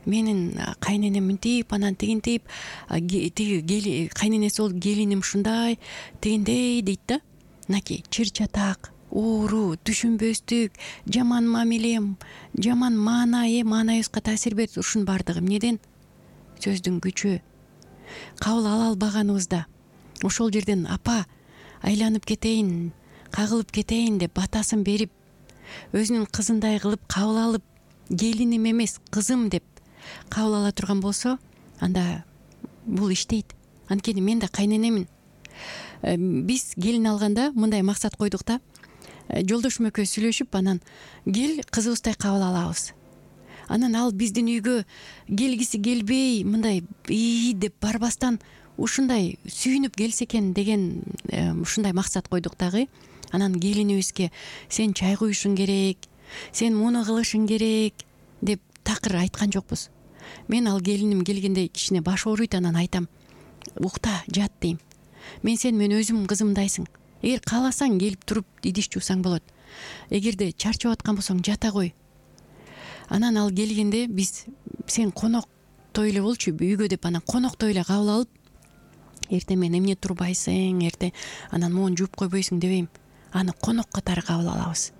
B: Менин кайненем мынтип, анан тигинтип, тиги кайненеси болуп келиним ушундай, тигиндей дейт да. Мынакей чыр-чатак, оору, түшүнбөстүк, жаман мамиле, жаман маана, э маанайыбызга таасир берет. Ушунун баардыгы эмнеден? Сөздүн күчү. Кабыл ала албаганыбызда ошол жерден апа айланып кетейин, кагылып кетейин деп батасын берип, өзүнүн кызындай кылып кабыл алып, келиним эмес, кызым деп кабыл ала турган болсо, анда бул иштейт. Анткени мен да кайненемин. Биз келин алганда мындай максат койдук да. Жолдошум экөөбүз сүйлөшүп, анан кел кызыбыздай кабыл алабыз. анан ал биздин үйгө келгиси келбей мындай ии деп барбастан ушундай сүйүнүп келсе экен деген ушундай максат койдук дагы. Анан келинибизге сен чай куюшуң керек, сен муну кылышың керек деп такыр айткан жокпуз. Мен ал келиним келгенде кичине баш ооруйт, анан айтам, укта, жат дейм. Мен сен мен өзүм кызымдайсың. Эгер кааласаң келип туруп идиш жуусаң болот. Эгерде чарчап аткан болсоң жата кой. Анан ал келгенде биз сен коноктой эле болчу үйгө деп анан коноктой эле кабыл алып, эртең мен эмне турбайсың, эртең анан могуну жууп койбойсуң дебейм. Аны конок катары кабыл алабыз.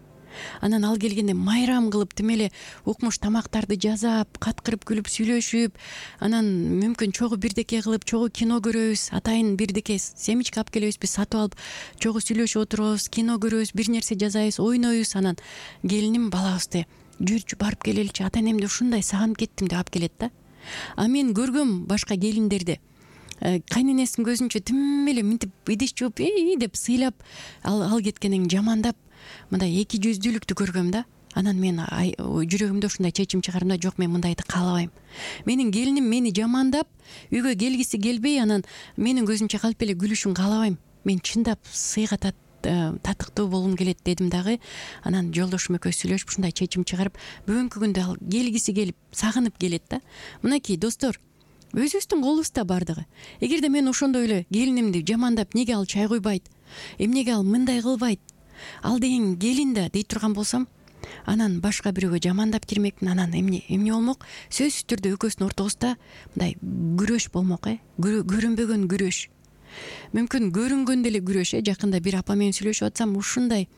B: Анан ал келгенде майрам кылып тим эле укмуш тамактарды жасап, каткырып күлүп сүйлөшүп, анан мүмкүн чогуу бирдеке кылып, чогуу кино көрөбүз, атайын бирдеке семечка алып келебиз, биз сатып алып, чогуу сүйлөшүп отурабыз, кино көрөбүз, бир нерсе жасайбыз, ойнойбуз. Анан келиним балабызды жүрчү барып келеличи, ата энемди ушундай сагынып кеттим деп алып келет да. А мен көргөм башка келиндерди кайненесинин көзүнчө тим эле мынтип идиш жууп ии деп сыйлап ал ал кеткенин жамандап мындай эки жүздүүлүктү көргөм да. Анан мен жүрөгүмдө ушундай чечим чыгардым да, жок, мен мындайды каалабайм. Менин келиним мени жамандап, үйгө келгиси келбей, анан менин көзүмчө калп эле күлүшүн каалабайм. Мен чындап сыйга татыктуу болгум келет дедим дагы. Анан жолдошум экөөбүз сүйлөшүп ушундай чечим чыгарып, бүгүнкү күндө ал келгиси келип, сагынып келет да. Мынакей достор, өзүбүздүн колубузда бардыгы. Эгерде мен ошондой эле келинимди жамандап, неге ал чай куйбайт, эмнеге ал мындай кылбайт, ал деген келин да дей турган болсом, анан башка бирөөгө жамандап кирмекмин. Анан эмне эмне болмок? Сөзсүз түрдө экөөбүздүн ортобузда мындай күрөш болмок, э көрүнбөгөн күрөш. Мүмкүн көрүнгөн деле күрөш, э жакында бир апа менен сүйлөшүп атсам, ушундай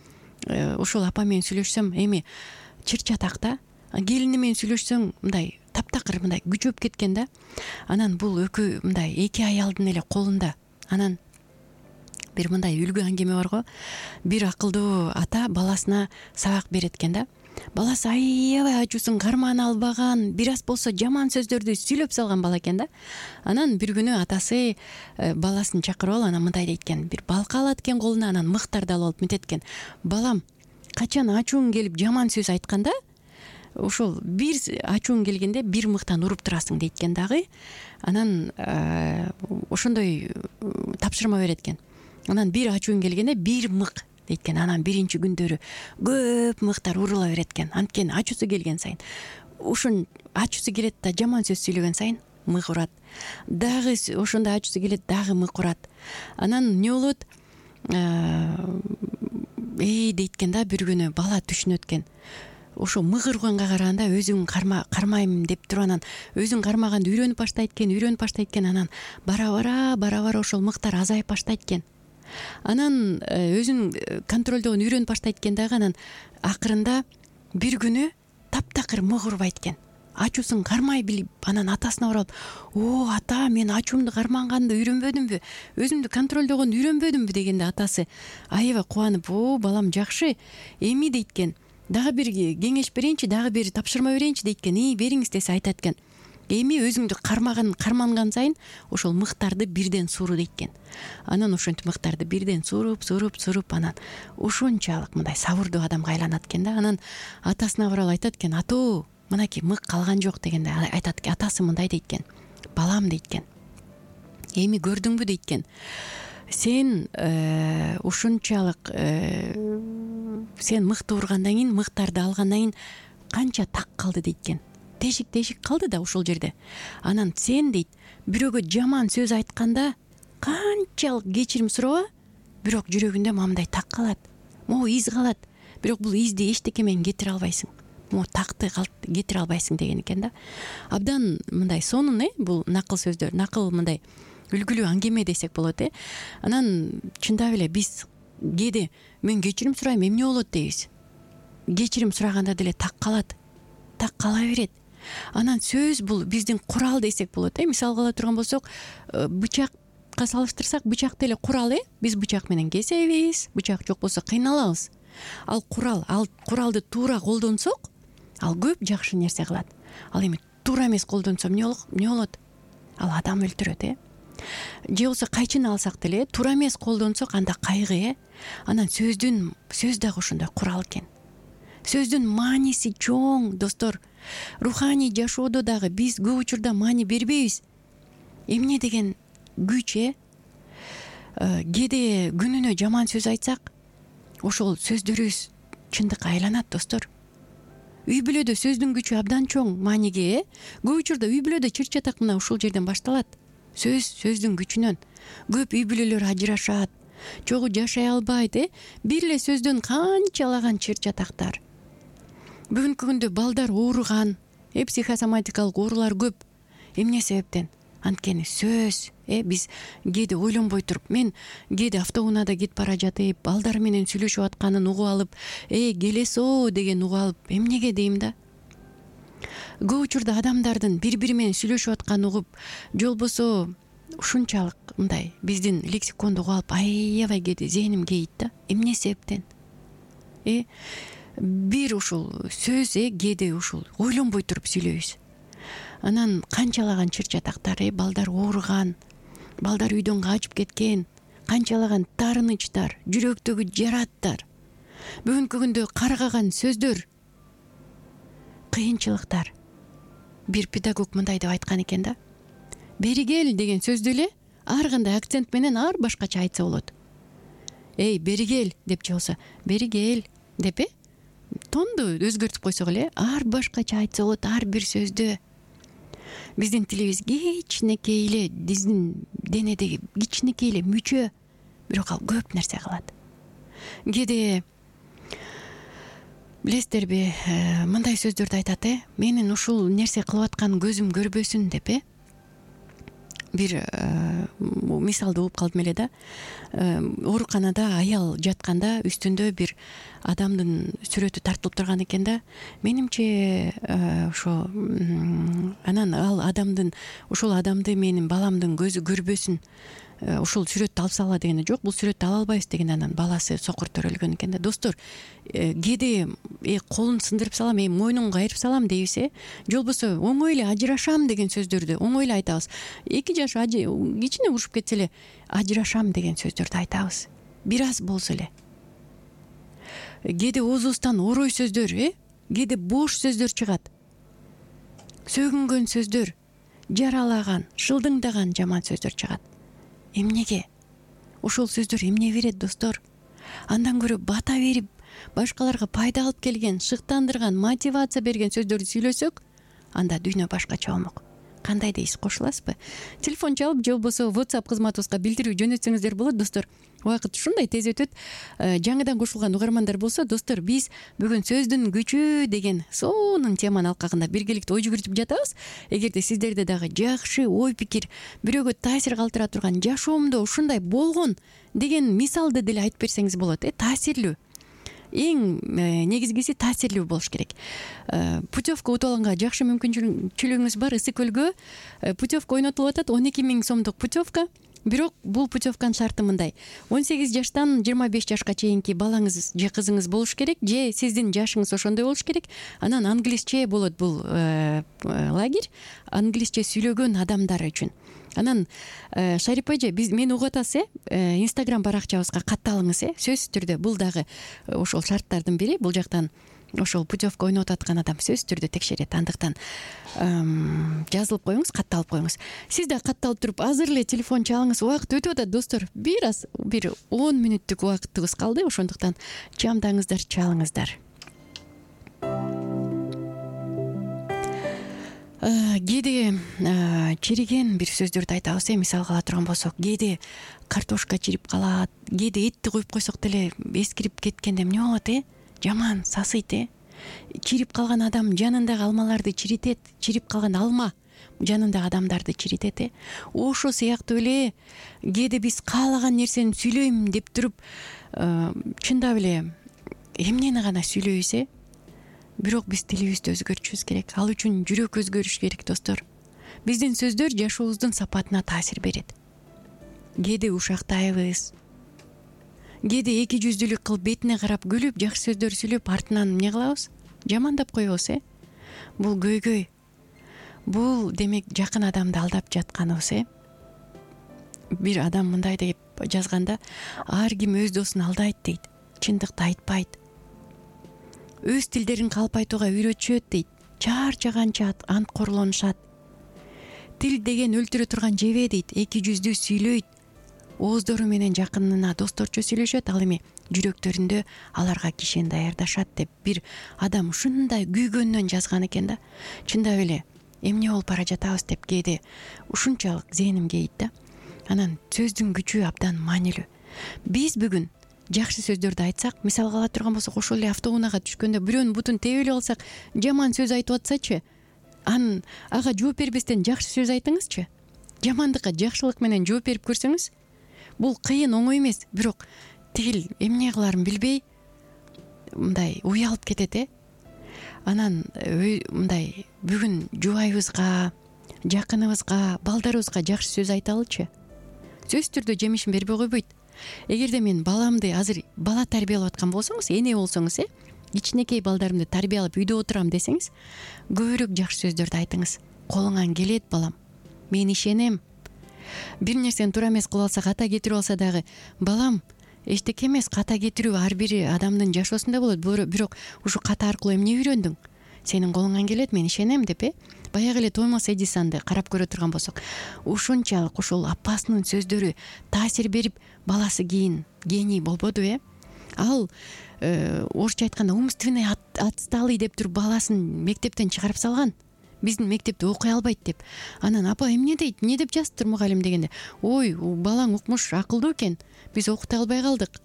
B: ошол апа менен сүйлөшсөм, эми чыр-чатак да. Келини менен сүйлөшсөң мындай таптакыр мындай күчөп кеткен да. Анан бул экөө мындай эки аялдын эле колунда. Анан бир мындай үлгү аңгеме бар го. Бир акылдуу ата баласына сабак берет экен да. Баласы аябай ачуусун кармана албаган, бир аз болсо жаман сөздөрдү сүйлөп салган бала экен да. Анан бир күнү атасы баласын чакырып алып, анан мындай дейт экен, бир балка алат экен колуна, анан мыктарды алып алып мынтет экен: балам, качан ачууң келип жаман сөз айтканда, ошол бир ачууң келгенде бир мыктан уруп турасың дейт экен дагы. Анан ошондой тапшырма берет экен. Анан бир ачууң келгенде бир мык дейт экен. Анан биринчи күндөрү көп мыктар урула берет экен. Анткени ачуусу келген сайын, ушун ачуусу келет да жаман сөз сүйлөгөн сайын мык урат. Дагы ошондой ачуусу келет, дагы мык урат. Анан эмне болот? Эй дейт экен да, бир күнү бала түшүнөт экен. Ошо мык урганга караганда өзүң карма кармайм деп туруп, анан өзүң кармаганды үйрөнүп баштайт экен, үйрөнүп баштайт экен. Анан бара-бара, бара-бара ошол мыктар азайып баштайт экен. Анан өзүн контролдогон үйрөнүп баштайт экен дагы. Анан акырында бир күнү таптакыр мык урбайт экен. Ачуусун кармай билип, анан атасына барып: "О, ата, мен ачуумду кармаганды үйрөнбөдүмбү? Өзүмдү контролдогонду үйрөнбөдүмбү?" дегенде атасы аябай кубанып: "О, балам, жакшы. Эми" дейт экен, "дагы бир кеңеш берейинчи, дагы бир тапшырма берейинчи" дейт экен. "И, бериңиз" десе, айтат экен: "Эми өзүңдү кармаган карманган сайын ошол мыктарды бирден суур" дейт экен. Анан ошентип мыктарды бирден сууруп, сууруп, сууруп, анан ошончалык мындай сабырдуу адамга айланат экен да. Анан атасына барып айтат экен: "Атоо, мынакей мык калган жок" дегенде айтат экен, атасы мындай дейт экен: "Балам" дейт экен, "эми көрдүңбү" дейт экен, "сен ушунчалык сен мыкты ургандан кийин, мыктарды алгандан кийин канча так калды" дейт экен. Тешик тешик калды да ошол жерде. Анан сен дейт, бирөөгө жаман сөз айтканда канчалык кечирим сураба, бирок жүрөгүндө мындай так калат, могу из калат. Бирок бул изди эчтеке менен кетире албайсың. Могу такты кетире албайсың деген экен да. Абдан мындай сонун, э бул накыл сөздөр, накыл мындай үлгүлүү аңгеме десек болот, э. Анан чындап эле биз кээде мен кечирим сурайм, эмне болот дейбиз. Кечирим сураганда деле так калат, так кала берет. Анан сөз бул биздин курал десек болот, э. Мисалга ала турган болсок, бычакка салыштырсак, бычак деле курал, э. Биз бычак менен кесебиз, бычак жок болсо кыйналабыз. Ал курал, ал куралды туура колдонсок, ал көп жакшы нерсе кылат. Ал эми туура эмес колдонсо эмне болот? Ал адам өлтүрөт, э. Же болбосо кайчыны алсак деле, туура эмес колдонсок, анда кайгы, э. Анан сөздүн сөз дагы ошондой курал экен. сөздүн мааниси чоң достор. Руханий жашоодо дагы биз көп учурда маани бербейбиз. Эмне деген күч э кээде күнүнө жаман сөз айтсак, ошол сөздөрүбүз чындыкка айланат достор. Үй бүлөдө сөздүн күчү абдан чоң мааниге э көп учурда үй бүлөдө чыр чатак мына ушул жерден башталат. Сөз сөздүн күчүнөн көп үй бүлөлөр ажырашат, чогуу жашай албайт э бир эле сөздөн канчалаган чыр чатактар. Бүгүнкү күндө балдар ооруган, э психосоматикалык оорулар көп. Эмне себептен? Анткени сөз э биз кээде ойлонбой туруп, мен кээде автоунаада кетип бара жатып, балдар менен сүйлөшүп атканын угуп алып, э келесоо деген угуп алып, эмнеге дейм да? Көп учурда адамдардын бири-бири менен сүйлөшүп атканын угуп, же болбосо ушунчалык мындай биздин лексиконду угуп алып, аябай кээде зээним кейийт да. Эмне себептен? Э бир ушул сөз э кээде ушул ойлонбой туруп сүйлөйбүз. Анан канчалаган чыр чатактар, э балдар ооруган, балдар үйдөн качып кеткен, канчалаган таарынычтар, жүрөктөгү жараттар, бүгүнкү күндө каргаган сөздөр, кыйынчылыктар. Бир педагог мындай деп айткан экен да: бери кел деген сөздү эле ар кандай акцент менен ар башкача айтса болот. Эй, бери кел деп же болсо бери кел деп э тонду өзгөртүп койсок эле ар башкача айтса болот ар бир сөздү. Биздин тилибиз кичинекей эле, биздин денедеги кичинекей эле мүчө, бирок ал көп нерсе кылат. Кээде билесиздерби, мындай сөздөрдү айтат э менин ушул нерсе кылып аткан көзүм көрбөсүн деп э бир мисалды угуп калдым эле да. Ооруканада аял жатканда үстүндө бир адамдын сүрөтү тартылып турган экен да. Менимче ошо анан ал адамдын ушул адамды менин баламдын көзү көрбөсүн, ушул сүрөттү алып салгыла дегенде, жок, бул сүрөттү ала албайбыз деген. Анан баласы сокур төрөлгөн экен да. Достор, кээде э колун сындырып салам, э мойнун кайрып салам дейбиз э же болбосо оңой эле ажырашам деген сөздөрдү оңой эле айтабыз. Эки жаш кичине урушуп кетсе эле ажырашам деген сөздөрдү айтабыз. Бир аз болсо эле. Кээде оозубуздан орой сөздөр, э кээде бош сөздөр чыгат. Сөгүнгөн сөздөр, жаралаган, шылдыңдаган жаман сөздөр чыгат. Эмнеге? Ошол сөздөр эмне берет достор? Андан көрө бата берип, башкаларга пайда алып келген, шыктандырган, мотивация берген сөздөрдү сүйлөсөк, анда дүйнө башкача болмок. Кандай дейсиз, кошуласызбы? Телефон чалып же болбосо WhatsApp кызматыбызга билдирүү жөнөтсөңүздөр болот достор. Убакыт ушундай тез өтөт. Жаңыдан кошулган угармандар болсо, достор, биз бүгүн сөздүн күчү деген сонун теманын алкагында биргеликте ой жүгүртүп жатабыз. Эгерде сиздерде дагы жакшы ой пикир, бирөөгө таасир калтыра турган, жашоомдо ушундай болгон деген мисалды деле айтып берсеңиз болот, э таасирлүү. Эң негизгиси таасирлүү болуш керек. Путевка утуп алганга жакшы мүмкүнчүлүгүңүз бар. Ысык көлгө путевка ойнотулуп атат, он эки миң сомдук путевка. Бирок бул путевканын шарты мындай: он сегиз жаштан жыйырма беш жашка чейинки балаңыз же кызыңыз болуш керек, же сиздин жашыңыз ошондой болуш керек. Анан англисче болот бул лагерь, англисче сүйлөгөн адамдар үчүн. Анан Шарипа эже, биз мени угуп атасыз, э Instagram баракчабызга катталыңыз, э сөзсүз түрдө бул дагы ошол шарттардын бири. Бул жактан ошол путевка ойноп аткан адам сөзсүз түрдө текшерет. Андыктан жазылып коюңуз, катталып коюңуз. Сиз да катталып туруп азыр эле телефон чалыңыз. Убакыт өтүп атат достор. Бир аз бир он мүнөттүк убакытыбыз калды. Ошондуктан чамдаңыздар, чалыңыздар. Кээде чириген бир сөздөрдү айтабыз, э мисалга ала турган болсок, кээде картошка чирип калат, кээде этти коюп койсок деле эскирип кеткенде эмне болот, э жаман сасыйт, э чирип калган адам жанындагы алмаларды чиритет, чирип калган алма жанындагы адамдарды чиритет, э ошо сыяктуу эле кээде биз каалаган нерсени сүйлөйм деп туруп чындап эле эмнени гана сүйлөйбүз, э бирок биз тилибизди өзгөртүшүбүз керек. Ал үчүн жүрөк өзгөрүш керек достор. Биздин сөздөр жашообуздун сапатына таасир берет. Кээде ушактайбыз, кээде эки жүздүүлүк кылып бетине карап күлүп, жакшы сөздөр сүйлөп, артынан эмне кылабыз? Жамандап коебуз, э бул көйгөй. Бул демек жакын адамды алдап жатканыбыз, э бир адам мындай деп жазганда, ар ким өз досун алдайт дейт, чындыкты айтпайт. өз тилдерин калп айтууга үйрөтүшөт дейт. Чарчаганча анткорлонушат. Тил деген өлтүрө турган жебе дейт. Эки жүздүү сүйлөйт. Ооздору менен жакынына досторчо сүйлөшөт, ал эми жүрөктөрүндө аларга кишен даярдашат деп бир адам ушундай күйгөнүнөн жазган экен да. Чындап эле эмне болуп бара жатабыз деп кээде ушунчалык зээним кейит да. Анан сөздүн күчү абдан маанилүү. Биз бүгүн жакшы сөздөрдү айтсак, мисалга ала турган болсок, ошол эле автоунаага түшкөндө бирөөнүн бутун тебе эле калсак, жаман сөз айтып атсачы, анын ага жооп бербестен жакшы сөз айтыңызчы. Жамандыкка жакшылык менен жооп берип көрсөңүз, бул кыйын, оңой эмес, бирок тигил эмне кыларын билбей мындай уялып кетет э. Анан мындай бүгүн жубайыбызга, жакыныбызга, балдарыбызга жакшы сөз айталычы. Сөзсүз түрдө жемишин бербей койбойт. Эгерде мен баламды азыр бала тарбиялап аткан болсоңуз, эне болсоңуз, э, кичинекей балдарымды тарбиялап үйдө отурам десеңиз, көбүрөөк жакшы сөздөрдү айтыңыз. Колуңан келет балам, мен ишенем. Бир нерсени туура эмес кылып алса, ката кетирип алса дагы, балам, эчтеке эмес, ката кетирүү ар бир адамдын жашоосунда болот. Бирок ушу ката аркылуу эмне үйрөндүң? Сенин колуңан келет, мен ишенем деп, э. Баягы эле Томас Эдисонду карап көрө турган болсок, ушунчалык ушул апасынын сөздөрү таасир берип, баласы кийин гений болбоду, э. Ал орусча айтканда умственный отсталый деп туруп баласын мектептен чыгарып салган. Биздин мектепте окуй албайт деп. Анан апа эмне дейт, эмне деп жазыптыр мугалим дегенде, ой, балаң укмуш, акылдуу экен, биз окута албай калдык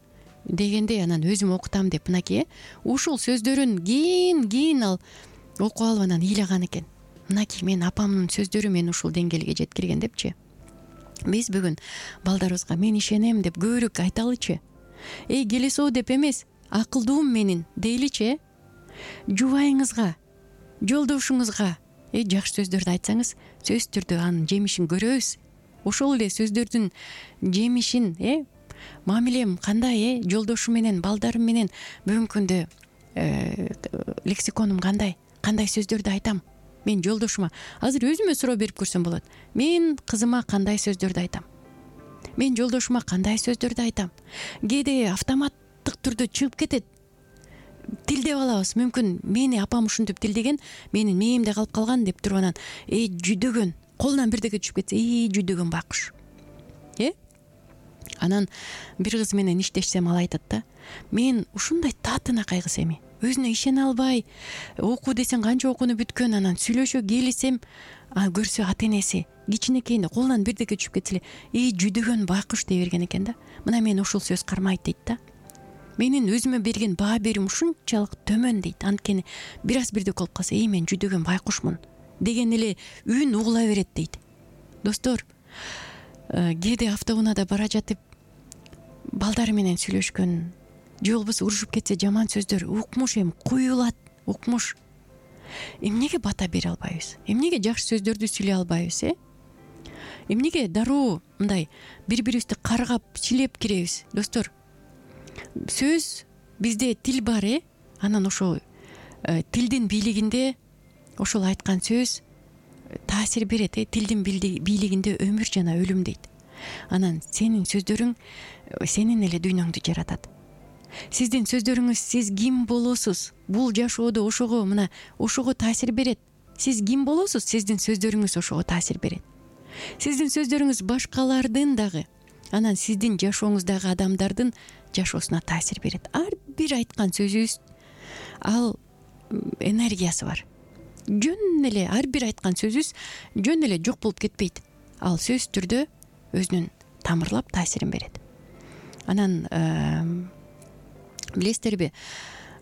B: дегенде, анан өзүм окутам деп, мынакей, ушул сөздөрүн кийин кийин ал окуп алып анан ыйлаган экен. Мынакей, мен апамдын сөздөрү мени ушул деңгээлге жеткирген депчи. Биз бүгүн балдарыбызга мен ишенем деп көбүрөөк айталычы. Эй, келесоо деп эмес, акылдуум менин дейличи. Жубайыңызга, жолдошуңузга э жакшы сөздөрдү айтсаңыз, сөзсүз түрдө анын жемишин көрөбүз. Ошол эле сөздөрдүн жемишин, э мамилем кандай, э жолдошум менен, балдарым менен бүгүнкү күндө лексиконум кандай, кандай сөздөрдү айтам. Мен жолдошума азыр өзүмө суроо берип көрсөм болот. Мен кызыма кандай сөздөрдү айтам? Мен жолдошума кандай сөздөрдү айтам? Кээде автоматтык түрдө чыгып кетет. Тилдеп алабыз. Мүмкүн мени апам ушинтип тилдеген, менин мээмде калып калган деп туруп анан, эй, жүдөгөн, колунан бирдеке түшүп кетсе, эй, жүдөгөн байкуш. Э? Анан бир кыз менен иштешсем, ал айтат да, мен ушундай татынакай кыз эми, өзүнө ишене албай, окуу десең канча окууну бүткөн, анан сүйлөшө келисем, көрсө ата энеси кичинекейинде колунан бирдеке түшүп кетсе эле, эй, жүдөгөн байкуш дей берген экен да. Мына мен ушул сөз кармайт дейт да. Менин өзүмө берген баа берим ушунчалык төмөн дейт. Анткени бир аз бирдек болуп калса, эй, мен жүдөгөн байкушмун деген эле үн угула берет дейт. Достор, кээде автоунаада бара жатып балдары менен сүйлөшкөн, же болбосо урушуп кетсе жаман сөздөр, укмуш эми куюлат, укмуш. Эмнеге бата бере албайбыз? Эмнеге жакшы сөздөрдү сүйлөй албайбыз, э? Эмнеге дароо мындай бири-бирибизди каргап, чилеп киребиз? Достор, сөз бизде тил бар, э? Анан ошол тилдин бийлигинде ошол айткан сөз таасир берет, э? Тилдин бийлигинде өмүр жана өлүм дейт. Анан сенин сөздөрүң сенин эле дүйнөңдү жаратат. Сиздин сөздөрүңүз, сиз ким болосуз? Бул жашоодо ошого, мына, ошого таасир берет. Сиз ким болосуз? Сиздин сөздөрүңүз ошого таасир берет. Сиздин сөздөрүңүз башкалардын дагы, анан сиздин жашооңуздагы адамдардын жашоосуна таасир берет. Ар бир айткан сөзүбүз, ал энергиясы бар. Жөн эле ар бир айткан сөзүбүз жөн эле жок болуп кетпейт. Ал сөзсүз түрдө өзүнүн тамырлап таасирин берет. Анан билесиздерби,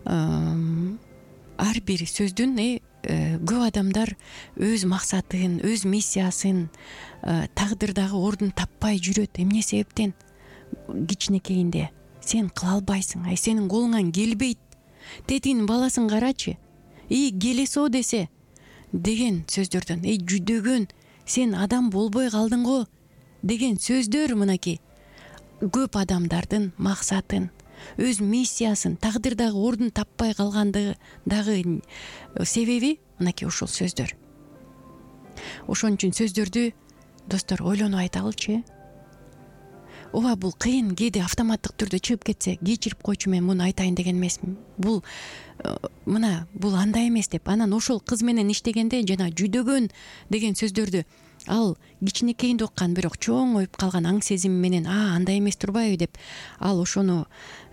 B: ар бир сөздүн көп адамдар өз максатын, өз миссиясын, тагдырдагы ордун таппай жүрөт. Эмне себептен? Кичинекейинде сен кыла албайсың, ай сенин колуңан келбейт. Тетигинин баласын карачы. Эй, келесоо десе деген сөздөрдөн, эй, жүдөгөн, сен адам болбой калдың го деген сөздөр, мынакей, көп адамдардын максатын, өз миссиясын, тагдырдагы ордун таппай калгандыгы дагы себеби мынакей ушул сөздөр. Ошон үчүн сөздөрдү, достор, ойлонуп айталычы. ооба бул кыйын, кээде автоматтык түрдө чыгып кетсе кечирип койчу, мен муну айтайын деген эмесмин. Бул мына бул андай эмес деп. Анан ошол кыз менен иштегенде жана жүдөгөн деген сөздөрдү ал кичинекейинде уккан, бирок чоңоюп калган аң сезим менен а андай эмес турбайбы деп ал ошону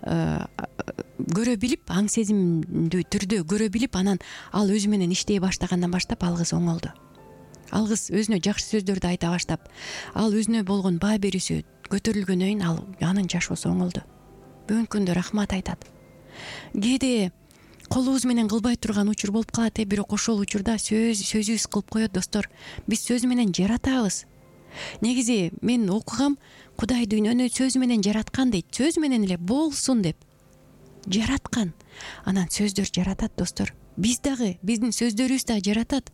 B: көрө билип, аң сезимдүү түрдө көрө билип, анан ал өзү менен иштей баштагандан баштап ал кыз оңолду. Ал кыз өзүнө жакшы сөздөрдү айта баштап, ал өзүнө болгон баа берүүсү көтөрүлгөндөн кийин ал анын жашоосу оңолду. Бүгүнкү күндө рахмат айтат. Кээде колубуз менен кылбай турган учур болуп калат э, бирок ошол учурда сөз сөзүбүз кылып коет достор. Биз сөз менен жаратабыз. Негизи мен окугам, Кудай дүйнөнү сөз менен жараткан дейт. Сөз менен эле болсун деп жараткан. Анан сөздөр жаратат достор. Биз дагы, биздин сөздөрүбүз да жаратат.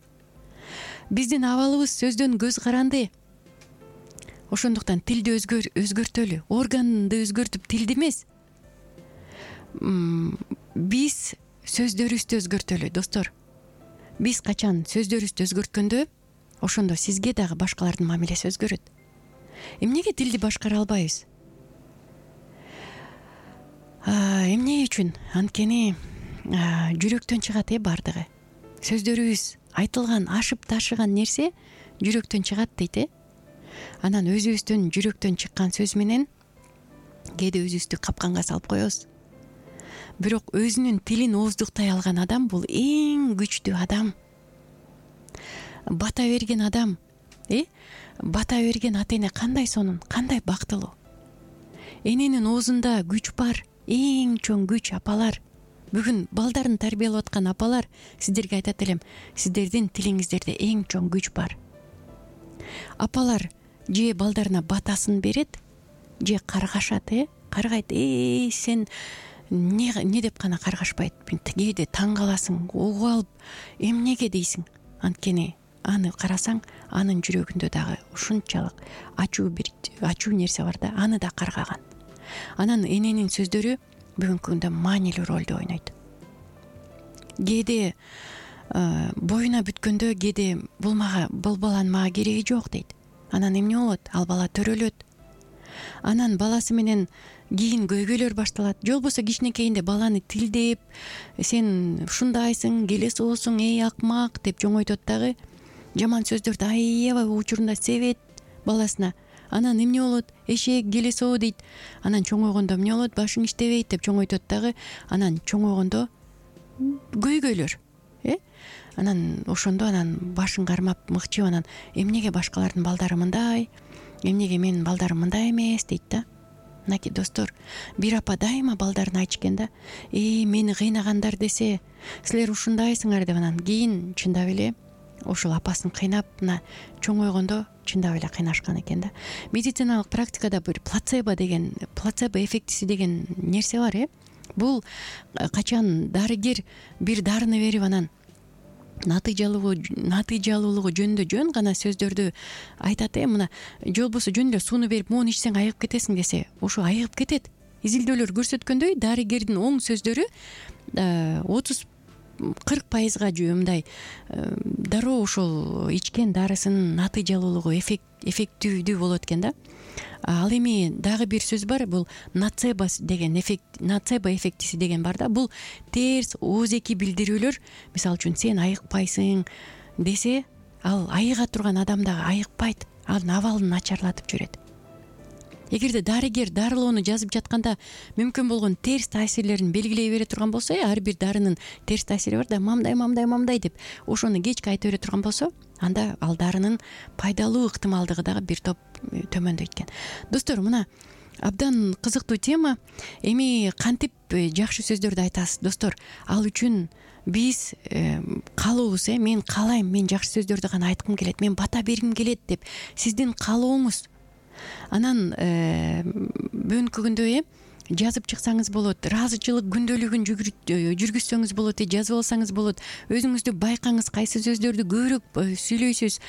B: Биздин абалыбыз сөздөн көз каранды. Ошондуктан тилди өзгөр өзгөртөлү, органды өзгөртүп тилди эмес. Биз сөздөрүбүздү өзгөртөлү достор. Биз качан сөздөрүбүздү өзгөрткөндө, ошондо сизге дагы башкалардын мамилеси өзгөрөт. Эмнеге тилди башкара албайбыз? Эмне үчүн? Анткени жүрөктөн чыгат э бардыгы. Сөздөрүбүз айтылган, ашып ташыган нерсе жүрөктөн чыгат дейт э. Анан өзүбүздөн жүрөктөн чыккан сөз менен кээде өзүбүздү капканга салып коебуз. Бирок өзүнүн тилин ооздуктай алган адам бул эң күчтүү адам. Бата берген адам, э? Бата берген ата эне кандай сонун, кандай бактылуу. Эненин оозунда күч бар, эң чоң күч. Апалар, бүгүн балдарын тарбиялап аткан апалар, сиздерге айтат элем, сиздердин тилиңиздерде эң чоң күч бар. Апалар же балдарына батасын берет, же каргашат, э? Каргайт, э, сен не не деп гана каргашпайт. Кээде таң каласың, угуп алып, эмнеге дейсиң. Анткени аны карасаң, анын жүрөгүндө дагы ушунчалык ачуу бир ачуу нерсе бар да, аны да каргаган. Анан эненин сөздөрү бүгүнкү күндө маанилүү ролду ойнойт. Кээде боюна бүткөндө, кээде бул мага бул баланын мага кереги жок дейт. Анан эмне болот? Ал бала төрөлөт. Анан баласы менен кийин көйгөйлөр башталат. Же болбосо кичинекейинде баланы тилдеп, сен ушундайсың, келесоосуң, эй акмак деп жоңойтот дагы. Жаман сөздөрдү аябай учурунда себет баласына. Анан эмне болот? Эшек, келесоо дейт. Анан чоңойгондо эмне болот? Башың иштебейт деп жоңойтот дагы. Анан чоңойгондо көйгөйлөр, э? Анан ошондо анан башын кармап мыкчып, анан эмнеге башкалардын балдары мындай, эмнеге менин балдарым мындай эмес дейт да. Мынакей достор, бир апа дайыма балдарын айтышкен да, э, мени кыйнагандар десе, силер ушундайсыңар деп. Анан кийин чындап эле ошол апасын кыйнап, мына чоңойгондо чындап эле кыйнашкан экен да. Медициналык практикада бир плацебо деген, плацебо эффектиси деген нерсе бар, э? Бул качан дарыгер бир дарыны берип, анан натыйжалуу натыйжалуулугу жөнүндө жөн гана сөздөрдү айтат, э? Мына же болбосо жөн эле сууну берип, моуну ичсең айыгып кетесиң десе, ошо айыгып кетет. Изилдөөлөр көрсөткөндөй, дарыгердин оң сөздөрү отуз кырк пайызга мындай дароо ошол ичкен дарысынын натыйжалуулугу эффективдүү болот экен да. Ал эми дагы бир сөз бар, бул нацебо деген эффект, нацебо эффектиси деген бар да. Бул терс оозеки билдирүүлөр. Мисалы үчүн сен айыкпайсың десе, ал айыга турган адам дагы айыкпайт, анын абалын начарлатып жиберет. Эгерде дарыгер дарылоону жазып жатканда мүмкүн болгон терс таасирлерин белгилей бере турган болсо, ар бир дарынын терс таасири бар да, мамдай мамдай мамдай деп ошону кечке айта бере турган болсо, анда ал дарынын пайдалуу ыктымалдыгы дагы бир топ төмөндөйт экен. Достор, мына абдан кызыктуу тема. Эми кантип жакшы сөздөрдү айтасыз, достор? Ал үчүн биз каалообуз, э, мен каалайм, мен жакшы сөздөрдү гана айткым келет, мен бата бергим келет деп сиздин каалооңуз. Анан бүгүнкү күндө э жазып чыксаңыз болот, ыраазычылык күндөлүгүн жүргүзсөңүз болот, э жазып алсаңыз болот. Өзүңүздү байкаңыз, кайсы сөздөрдү көбүрөөк сүйлөйсүз.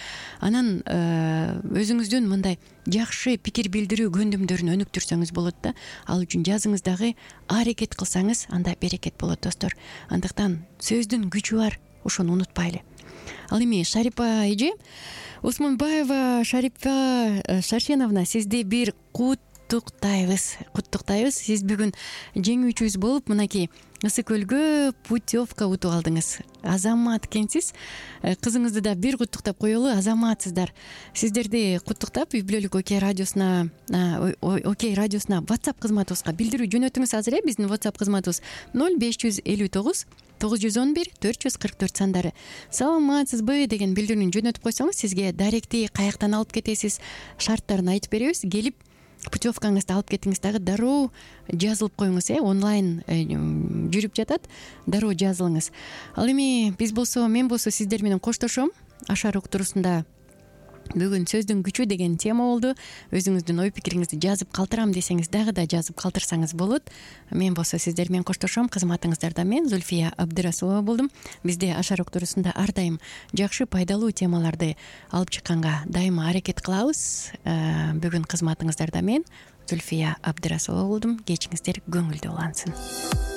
B: Анан өзүңүздүн мындай жакшы пикир билдирүү көндүмдөрүн өнүктүрсөңүз болот да. Ал үчүн жазыңыз дагы, аракет кылсаңыз, анда берекет болот, достор. Андыктан сөздүн күчү бар, ошону унутпайлы. Ал эми Шарипа эже, Осмонбаева Шарипа Шаршеновна, сизди бир кут куттуктайбыз куттуктайбыз сиз бүгүн жеңүүчүбүз болуп мынакей ысык көлгө путевка утуп алдыңыз. Азамат экенсиз. Кызыңызды да бир куттуктап коелу. Азаматсыздар. Сиздерди куттуктап үй бүлөлүк Окей радиосуна Окей радиосуна WhatsApp кызматыбызга билдирүү жөнөтүңүз азыр э биздин WhatsApp кызматыбыз ноль беш жүз элүү тогуз тогуз жүз он бир төрт жүз кырк төрт сандары. Саламатсызбы деген билдирүүнү жөнөтүп койсоңуз сизге даректи каяктан алып кетесиз, шарттарын айтып беребиз. Келип путевкаңызды алып кетиңиз, дагы дароо жазылып коюңуз э онлайн жүрүп жатат, дароо жазылыңыз. Ал эми биз болсо мен болсо сиздер менен коштошом. Ашар уктуруусунда бүгүн сөздүн күчү деген тема болду. Өзүңүздүн ой пикириңизди жазып калтырам десеңиз дагы да жазып калтырсаңыз болот. Мен болсо сиздер менен коштошом. Кызматыңыздарда мен Зульфия Абдырасулова болдум. Бизде Ашар уктуруусунда ар дайым жакшы пайдалуу темаларды алып чыкканга дайыма аракет кылабыз. Бүгүн кызматыңыздарда мен Зульфия Абдырасулова болдум. Кечиңиздер көңүлдүү улансын.